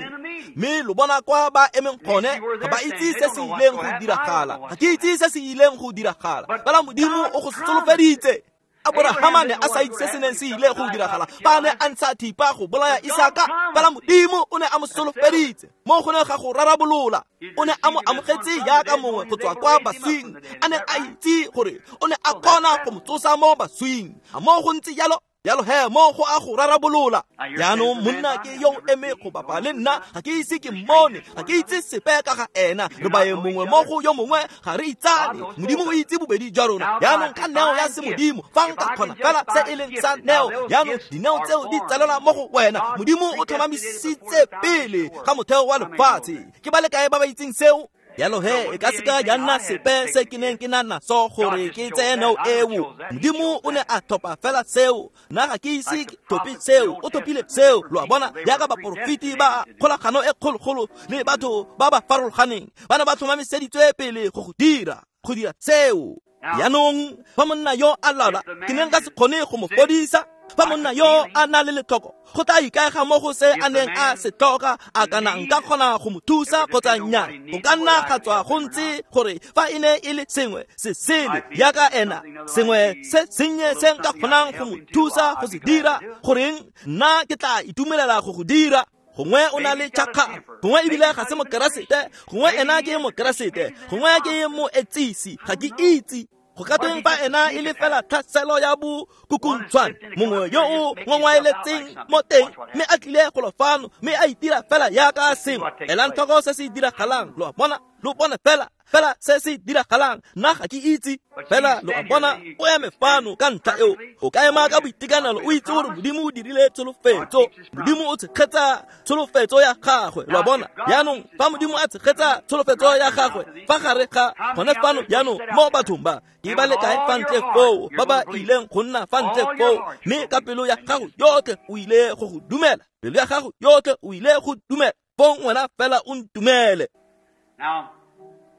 Speaker 1: mme lo bona kwa ba emeng gone, ga ba itse se se ileng go diragala. Ga ke itse se se ileng go diragala, fela Modimo o go solofeditse. Aborahama ne a sa itse se se neng se ile go diragala, ba ne a ntsha thipa go bolaya Isaka, fela Modimo o ne a mo solofeditse. Mo go ne ga go rarabolola, o ne a mo amogetse jaaka mongwe go tswa kwa baswing, a ne a itse gore o ne a kgona go mo tsosa mo baswing. A mo go ntse jalo? Jalo he mo go a go rarabolola. Jaanong monna ke yo eme go bapa le nna, ga ke ise ke mmone, ga ke itse sepe ka ga ena. Re baeng mongwe mo go yo mongwe, ga re itsane. Modimo o itse bobedi jwa rona. Jaanong ka neo ya semodimo, fa nka kgona fela se e leng sa neo, jaanong dineo tseo di tsalelwa mo go wena. Modimo o tlhomamisitse pele ga motheo wa lefatshe. Ke ba le kae ba ba itseng seo? Jalo he e ka seka ya nna sepe se ke neng ke na naso gore ke tseye neo eo. Modimo o ne a tlhopha fela seo. Nna ga ke ise ke tlhophe seo, o tlhophile seo. Lo a bona, jaaka baporofeti ba kgolagano e kgologolo le batho ba ba farologaneng ba ne ba tlhomamiseditswe pele go dira seo. Jaanong fa monna yo a lwala, ke ne nka se kgone go mo fodisa. Fa monna yo a na le letlhoko, go tla ikaega mo go se a neng a se tlhoka, a kana nka kgona go mo thusa kgotsa nnyaa. Go ka nna ga tswa go ntse gore fa e ne e le sengwe se sele jaaka ena, sengwe se sennye se nka kgonang go mo thusa go se dira, goreng nna ke tla itumelela go go dira. Gongwe o na le tšhakgalo, gongwe ebile ga se mokeresete, gongwe ena ke mokeresete, gongwe ke moetsisi, ga ke itse. Go ka tweng fa ena e le fela tlhaselo ya bokukuntshwane, mongwe yo o ngongwaeletseng mo teng, mme a tlile golo fano, mme a itira fela jaaka sengwe. Elang tlhoko se se diragalang, lo a bona, lo bone fela fela se se diragalang. Nna ga ke itse, fela lo a bona, o eme fano ka ntlha eo. O ka ema ka boitekanelo, o itse gore Modimo o dirile tsholofetso. Modimo o tshegetsa tsholofetso ya gagwe, lo a bona. Jaanong fa Modimo a tshegetsa tsholofetso ya gagwe fa gare ga gone fano jaanong mo bathong ba, ke ba le kae fa ntle foo ba ba ileng go nna fa ntle foo, mme ka pelo ya gago yotlhe o ile go go dumela, pelo ya gago yotlhe o ile go dumela, fong wena fela o ntumele.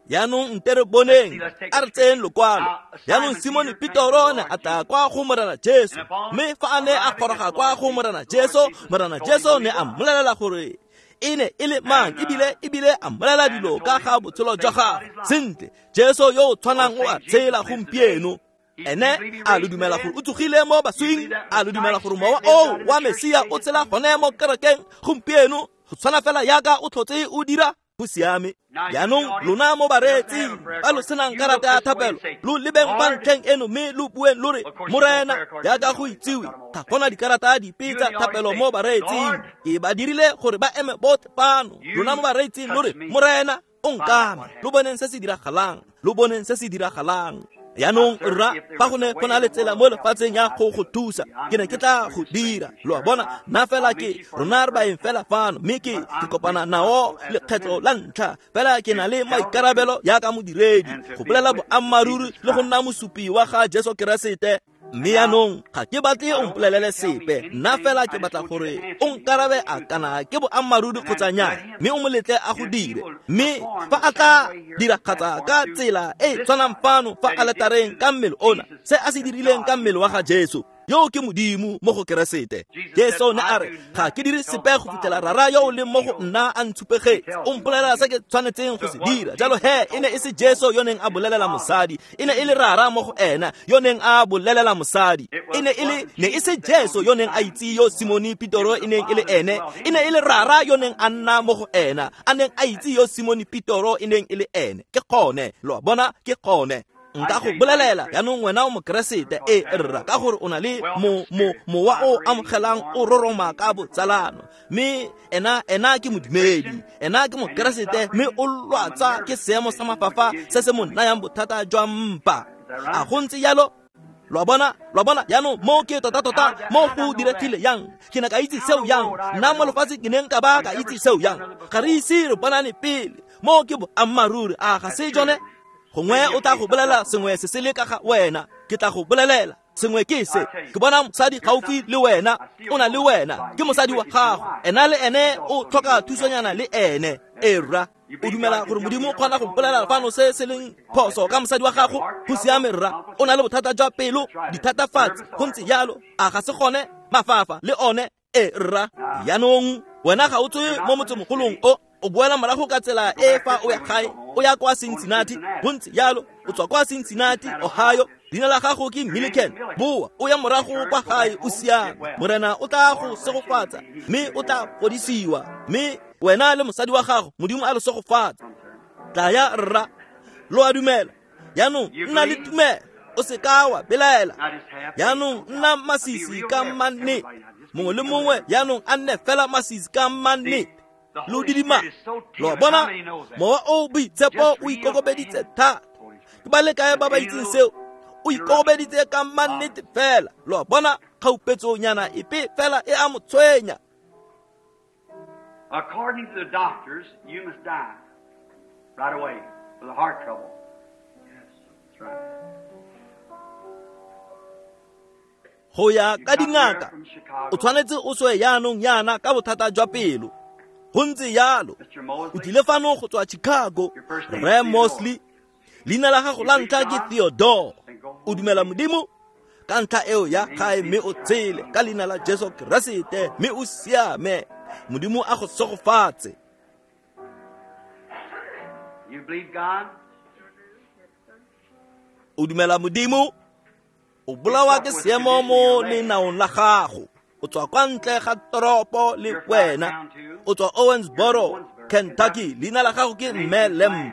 Speaker 1: Jaanong nte re boneng, a re tseyeng lokwalo. Jaanong Simone Petoro ne a tla kwa go Morena Jesu, mme fa a ne a goroga kwa go Morena Jesu, Morena Jesu ne a mmolelela gore e ne e le mang, ebile a mmolelela dilo ka ga botshelo jwa gagwe. Sentle, Jesu yo o tshwanang o a tshela gompieno. Ene a lo dumela gore o tsogile mo baswing, a lo dumela gore mowa oo wa Mesia o tshela gone mo kerekeng gompieno, go tshwana fela jaaka o tlhotse o dira. Go siame. Jaanong lona mo bareetsing ba lo senang karata ya thapelo, lo lebeng fa ntlheng eno mme lo bueng lo re, Morena, jaaka go itsiwe, ga gona dikarata dipe tsa thapelo mo bareetsing. Ke ba dirile gore ba eme botlhe fano. Lona mo bareetsing lo re, Morena, o nkame. Lo boneng se se diragalang, lo boneng se se diragalang. Jaanong rra, fa go ne go na le tsela mo lefatsheng ya go go thusa, ke ne ke tla go dira. Lo a bona, nna fela ke rona re baeng fela fano, mme ke kopana nao lekgetlo la ntlha. Fela ke na le maikarabelo jaaka modiredi go bolela boammaaruri le go nna mosupi wa ga Jesu Keresete. Mme jaanong ga ke batle o mpolelele sepe, nna fela ke batla gore o nkarabe a kana ke boammaaruri kgotsa nnyaa, mme o mo letle a go dire. Mme fa a tla diragatsa ka tsela e e tshwanang fano fa aletareng ka mmele ona, se a se dirileng ka mmele wa ga Jesu, yo ke Modimo mo go Keresete. Jesu ne a re, ga ke dire sepe go fitlhela Rara yo o leng mo go nna a ntshupegetse, o mpolelela se ke tshwanetseng go se dira. Jalo he e ne e se Jesu yo neng a bolelela mosadi, e ne e le Rara mo go ena yo neng a bolelela mosadi. E ne e le ne e se Jesu yo neng a itse yo Simone Petoro e neng e le ene, e ne e le Rara yo neng a nna mo go ena, a neng a itse yo Simone Petoro e neng e le ene. Ke gone, lo a bona, ke gone. Nka go bolelela jaanong wena o mokeresete, e rra, ka gore o na le mowa o amogelang o roroma ka botsalano, mme ena ke modumedi, ena ke mokeresete, mme o lwatsa ke seemo sa mafafa se se mo nayang bothata jwa mpa. A go ntse jalo? Lo a bona, jaanong mo ke tota-tota mo go diregile yang. Ke ne ka itse seo yang, nna mo lefatsheng ke ne nka ba ka itse seo yang. Ga re ise re bonane pele, mo ke boammaaruri, a ga se jone? Gongwe o tla go bolela sengwe se se le ka ga wena, ke tla go bolelela sengwe ke se. Ke bona mosadi gaufi le wena, o na le wena, ke mosadi wa gago, ena le ene o tlhoka thusonyana le ene. E rra, O dumela gore Modimo o kgona go mpolelela fano se se leng phoso ka mosadi wa gago? Go siame rra. O na le bothata jwa pelo, dithatafatsi, go ntse jalo. A ga se gone? Mafafa le one e rra. Jaanong wena ga o tswe mo motsemogolong o, o boela morago ka tsela e fa o ya gae, o ya kwa Cincinnati, go ntse jalo. O tswa kwa Cincinnati, Ohio. Leina la gago ke Milliken. Boa o ya morago kwa gae o siame. Morena o tla go segofatsa mme o tla fodisiwa, mme wena le mosadi wa gago Modimo a le segofatsa. Tla ya rra, lo a dumela. Jaanong nna le tumelo, o se ka wa belaela. Jaanong nna masisi ka mannete. Mongwe le mongwe jaanong a nne fela masisi ka mannete. Lo didima. Lo bona, mowa o boitshepo o ikokobeditse thata. Ke ba le kae ba ba itseng seo? O ikokobeditse ka mannete fela. Lo bona, kgaupetsonyana epe fela e a mo tshwenya.
Speaker 2: According to the doctors, you must die right away with a heart trouble. Yes, that's right.
Speaker 1: Go ya ka dingaka, o tshwanetse o swe jaanong yana ka bothata jwa pelo. Go ntse jalo. O tlile fano go tswa Chicago, Rre Mosley. Leina la gago la ntlha ke Theodore. O dumela Modimo? Ka ntlha eo ya gae mme o tshele ka leina la Jesu Keresete mme o siame. Modimo a go segofatse. O dumela Modimo? O bolawa ke seemo mo lenaong la gago. O tswa kwa ntle ga toropo le wena. O tswa Owensboro, Kentucky. Leina la gago ke Mme Lamb.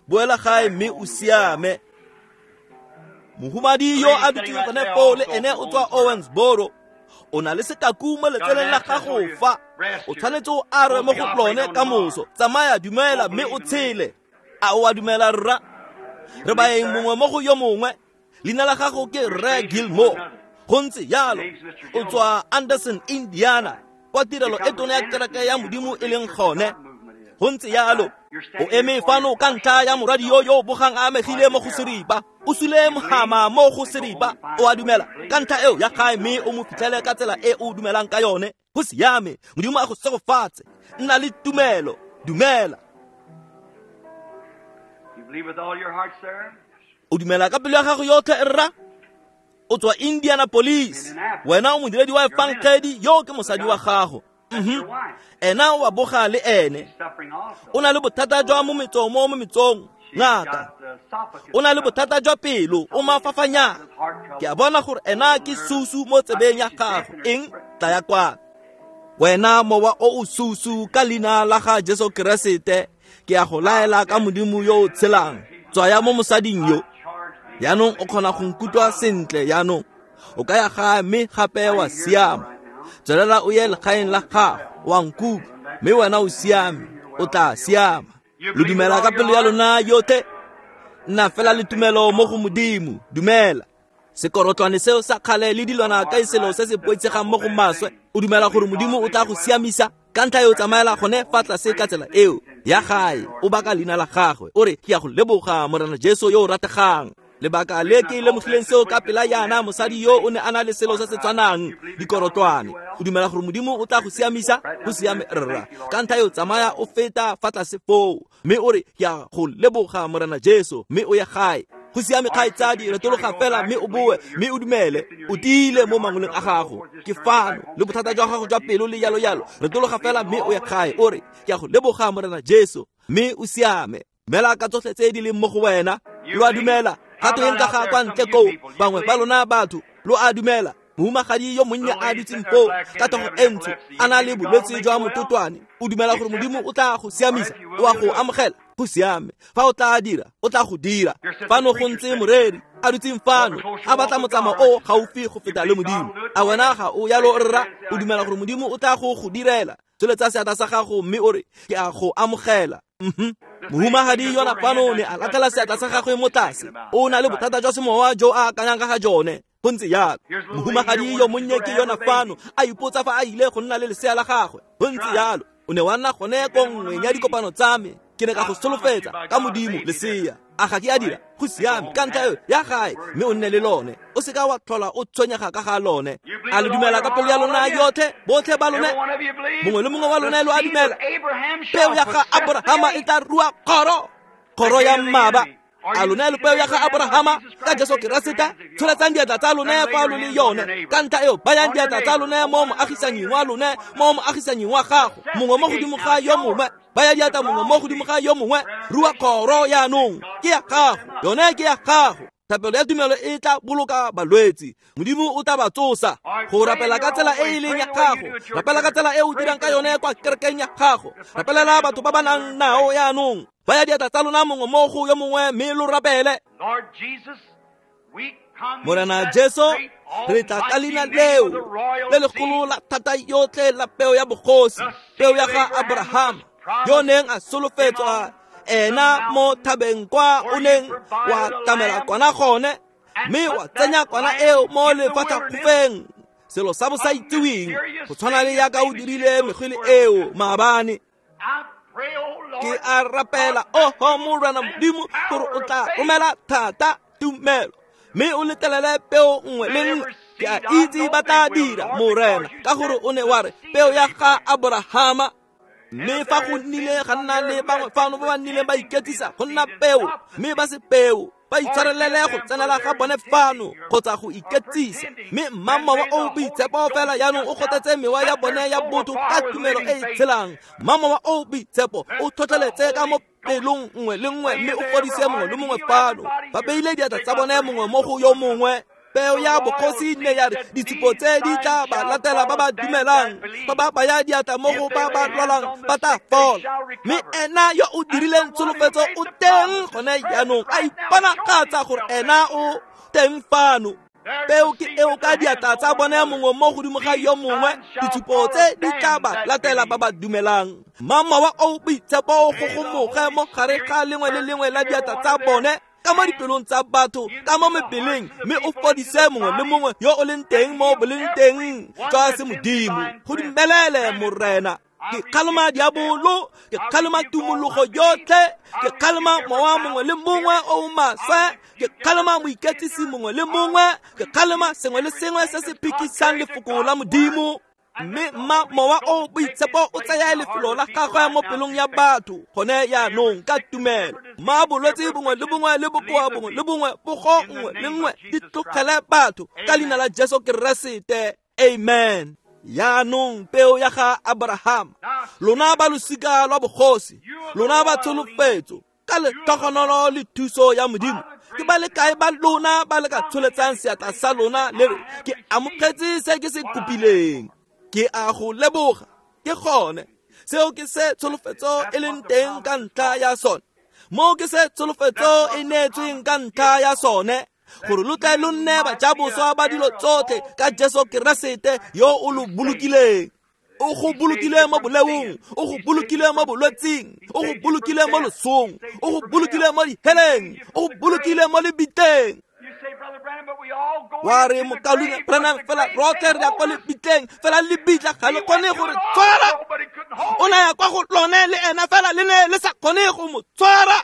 Speaker 1: Boela gae mme o siame. Mohumadi yo a dutseng gone foo le ene o tswa Owensboro. O na le sekaku mo letseleng la gago fa. O tshwanetse o arwe mo go lone ka moso. Tsamaya, dumela mme o tshele. A o a dumela rra? Re baeng mongwe mo go yo mongwe. Leina la gago ke Rre Gilmore. Go ntse jalo. O tswa Anderson, Indiana, kwa tirelo e tona ya kereke ya Modimo e leng gone. Go ntse jalo. O eme fano ka ntlha ya morwadi yo yo bogang a amegile mo go seripa. O sule mohama mo go seripa. O a dumela ka ntlha eo ya gae mme o mo fitlhele ka tsela e o dumelang ka yone. Go siame. Modimo a go segofatse. Nna le tumelo. Dumela. O dumela ka pelo ya gago yotlhe rra? O tswa Indianapolis. Wena o modiredi wa efangedi, yo ke mosadi wa gago. Ena o a boga le ene. O na le bothata jwa mo metsong mo metsong. Ngaka. O na le bothata jwa pelo, o mafafanyana. Ke a bona gore ena ke susu mo tsebeng ya gago. Eng? Tla ya kwa. Wena mowa o o susu ka leina la ga Jesu Keresete, ke a go laela ka Modimo yo o tshelang. Tswaya mo mosading yo. Jaanong o kgona go nkutlwa sentle jaanong. O ka ya gae mme gape wa siama. Tswelela o ye legaeng la gago, wa nkutlwa, mme wena o siame, o tla siama. Lo dumela ka pelo ya lona yotlhe? Nna fela le tumelo mo go Modimo. Dumela. Sekorotlwane seo sa kgale le dilwana ka selo se se boitshegang mo go maswe. O dumela gore Modimo o tla go siamisa? Ka ntlha eo tsamaela gone fa tlase ka tsela eo ya gae, o baka leina la gagwe. O re, ke ya go leboga Morena Jesu yo o rategang. Lebaka le ke lemogileng seo ka pela yana, mosadi yo o ne a na le selo se se tshwanang, dikorotlwane. O dumela gore Modimo o tla go siamisa? Go siame rra. Ka ntlha eo tsamaya o feta fa tlase foo mme o re, ke ya go leboga Morena Jesu, mme o ye gae. Go siame kgaitsadi, retologa fela mme o boe mme o dumele. O tiile mo mangoleng a gago. Ke fano le bothata jwa gago jwa pelo le jalo jalo. Retologa fela mme o ye gae. O re, ke ya go leboga Morena Jesu, mme o siame. Dumela ka tsotlhe tse di leng mo go wena. Lo a dumela? Ga tweng ka ga kwa ntle koo, bangwe ba lona batho, lo a dumela? Mohumagadi yo monnye a dutseng foo ka tlhogo e ntsho, a na le bolwetse jwa mototwane. O dumela gore Modimo o tla go siamisa? O a go amogela? Go siame. Fa o tla dira, o tla go dira. Fano go ntse moreri a dutseng fano, a batla motsamao o gaufi go feta le Modimo. A wena ga o yalo rra? O dumela gore Modimo o tla go direla? Tsholetsa seatla sa gago mme o re, ke a go amogela. Mohumagadi yona fano ne a latlhela seatla sa gagwe mo tlase. O na le bothata jwa semowa jo a akanyang ka ga jone. Go ntse jalo. Mohumagadi yo monnye ke yona fano a ipotsa fa a ile go nna le lesea la gagwe. Go ntse jalo. O ne wa nna gone ko nngweng ya dikopano tsa me. Ke ne ka go solofetsa ka Modimo lesea. A ga ke a dira? Go siame, ka ntlha eo ya gae mme o nne le lone, o seka wa tlhola o tshwenyega ka ga lone. A le dumela ka pelo ya lona yotlhe, botlhe ba lone? Mongwe le mongwe wa lone lo a dumela? Peo ya ga Aborahama e tla rua kgoro, kgoro ya mmaba. A lone lo peo ya ga Aborahama ka Jesu Keresete? Tsholetsang diatla tsa lone fa lo le yone. Ka ntlha eo bayang diatla tsa lone mo moagisanying wa lone, mo moagisanying wa gago, mongwe mo godimo ga yo mongwe. Baya diatla mongwe mo godimo ga yo mongwe. Rua kgoro yaanong, ke ya gago, yone ke ya gago. Thapelo ya tumelo e tla boloka balwetse, Modimo o tla ba tsosa. Go rapela ka tsela e e leng ya gago, rapela ka tsela e o dirang ka yone kwa kerekeng ya gago. Rapelela batho ba ba nang nao yaanong. Baya diatla tsa lona mongwe mo go yo mongwe mme lo rapele. Morena Jesu, re tla ka leina leo le legolo la thata yotlhe la peo ya bogosi, peo ya ga Abraham, yo neng a solofetswa ena mo thabeng kwa o neng wa tlamela kwana gone, mme wa tsenya kwana eo mo lefatlhakgofeng, selo sa bo sa itseweng, go tshwana le yaka o dirile megwele eo maabane. Ke a rapela, oho Morena Modimo, gore o tla romela thata tumelo mme o letelele peo nngwe le nngwe. Ke a itse ba tla dira, Morena, ka gore o ne wa re peo ya ga Aborahama. Mme fa go nnile ga nna le bangwe fano ba ba nnileng ba iketsisa go nna peo, mme ba se peo, ba itshwarelele go tsenela ga bone fano kgotsa go iketsisa, mme mma mowa o boitshepo fela yaanong o kgothetse mewa ya bone ya botho ka tumelo e e tshelang. Mma mowa o boitshepo o tlhotlheletse ka mo pelong nngwe le nngwe mme o fodise mongwe le mongwe fano. Ba beile diatla tsa bone mongwe mo go yo mongwe. Peo ya bogosi ne ya re ditshupo tse di tla ba latela ba ba dumelang, ba ba baya diatla mo go ba ba lwalang ba tla fola. Mme ena yo o dirileng tsholofetso o teng gone jaanong, a iponagatsa gore ena o teng fano. Peo ke eo ka diatla tsa bone mongwe mo godimo ga yo mongwe, ditshupo tse di tla ba latela ba ba dumelang. Mma mowa o boitshepo o gogomoge mo gare ga lengwe le lengwe la diatla tsa bone, ka mo dipelong tsa batho, ka mo mebeleng, mme o fodise mongwe le mongwe yo o leng teng mo boleng teng jwa semodimo. Go dumelele, Morena. Ke kgalema diabolo, ke kgalema tumologo yotlhe, ke kgalema mowa mongwe le mongwe o o maswe, ke kgalema moiketsisi mongwe le mongwe, ke kgalema sengwe le sengwe se se phikisang lefoko la Modimo. Mme mma mowa o boitshepo o tsaya lefelo la gagwe mo pelong ya batho gone yaanong ka tumelo. Mma bolwetse bongwe le bongwe le bokoa bongwe le bongwe, pogo nngwe le nngwe di tlogele batho ka leina la Jesu Keresete. Amen. Yaanong peo ya ga Abraham, lona ba losika lwa bogosi, lona ba tsholofetso, ka letlhogonolo le thuso ya Modimo, ke ba le kae ba lona ba le ka tsholetsang seatla sa lona le re, ke amogetse se ke se kopileng, ke a go leboga. Ke gone seo ke se tsholofetso e leng teng ka ntlha ya sone, mo ke se tsholofetso e neetsweng ka ntlha ya sone, gore lo tle lo nne bajaboswa ba dilo tsotlhe ka Jesu Keresete yo o lo bolokileng. O go bolokile mo boleong, o go bolokile mo bolwetsing, o go bolokile mo losong, o go bolokile mo diheleng, o go bolokile mo lebitleng. Wa re, mokaulengwe Branham, fela rotlhe re ya kwa lebitleng, fela lebitla ga le kgone go re tshwara. O ne ya kwa go lone le ena, fela le ne le sa kgone go mo tshwara.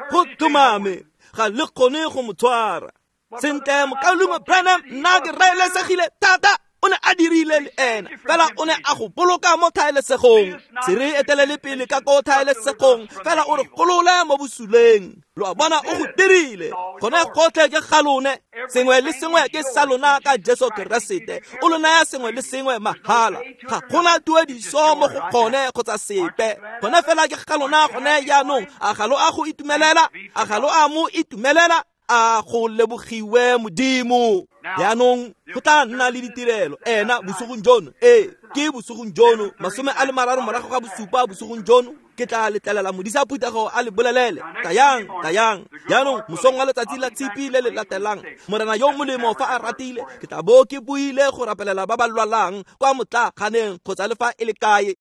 Speaker 1: Go tlhomame, ga le kgone go mo tshwara. Sentle, mokaulengwe Branham, nna ke raelesegile thata. O ne a dirile le ena, fela o ne a go boloka mo thaelesegong. Se re etelele pele ka ko thaelesegong, fela o re golole mo bosuleng. Lo a bona, o go dirile. Gone gotlhe ke ga lone, sengwe le sengwe ke sa lona ka Jesu Keresete. O lo naya sengwe le sengwe mahala, ga gona tuediso mo go gone kgotsa sepe. Gone fela ke ga lona gone jaanong. A ga lo a go itumelela? A ga lo a mo itumelela? A go lebogiwe Modimo. Jaanong go tla nna le ditirelo ena bosigong jono. Ee, ke bosigong jono, 37:30 bosigong jono, ke tla letlelela modisa phuthego a le bolelele. Tayang, tayang. Jaanong mosong wa letsatsi la tshipi le le latelang, Morena yo molemo fa a ratile, ke tla bo ke buile go rapelela ba ba lwalang kwa motlaaganeng kgotsa le fa e le kae.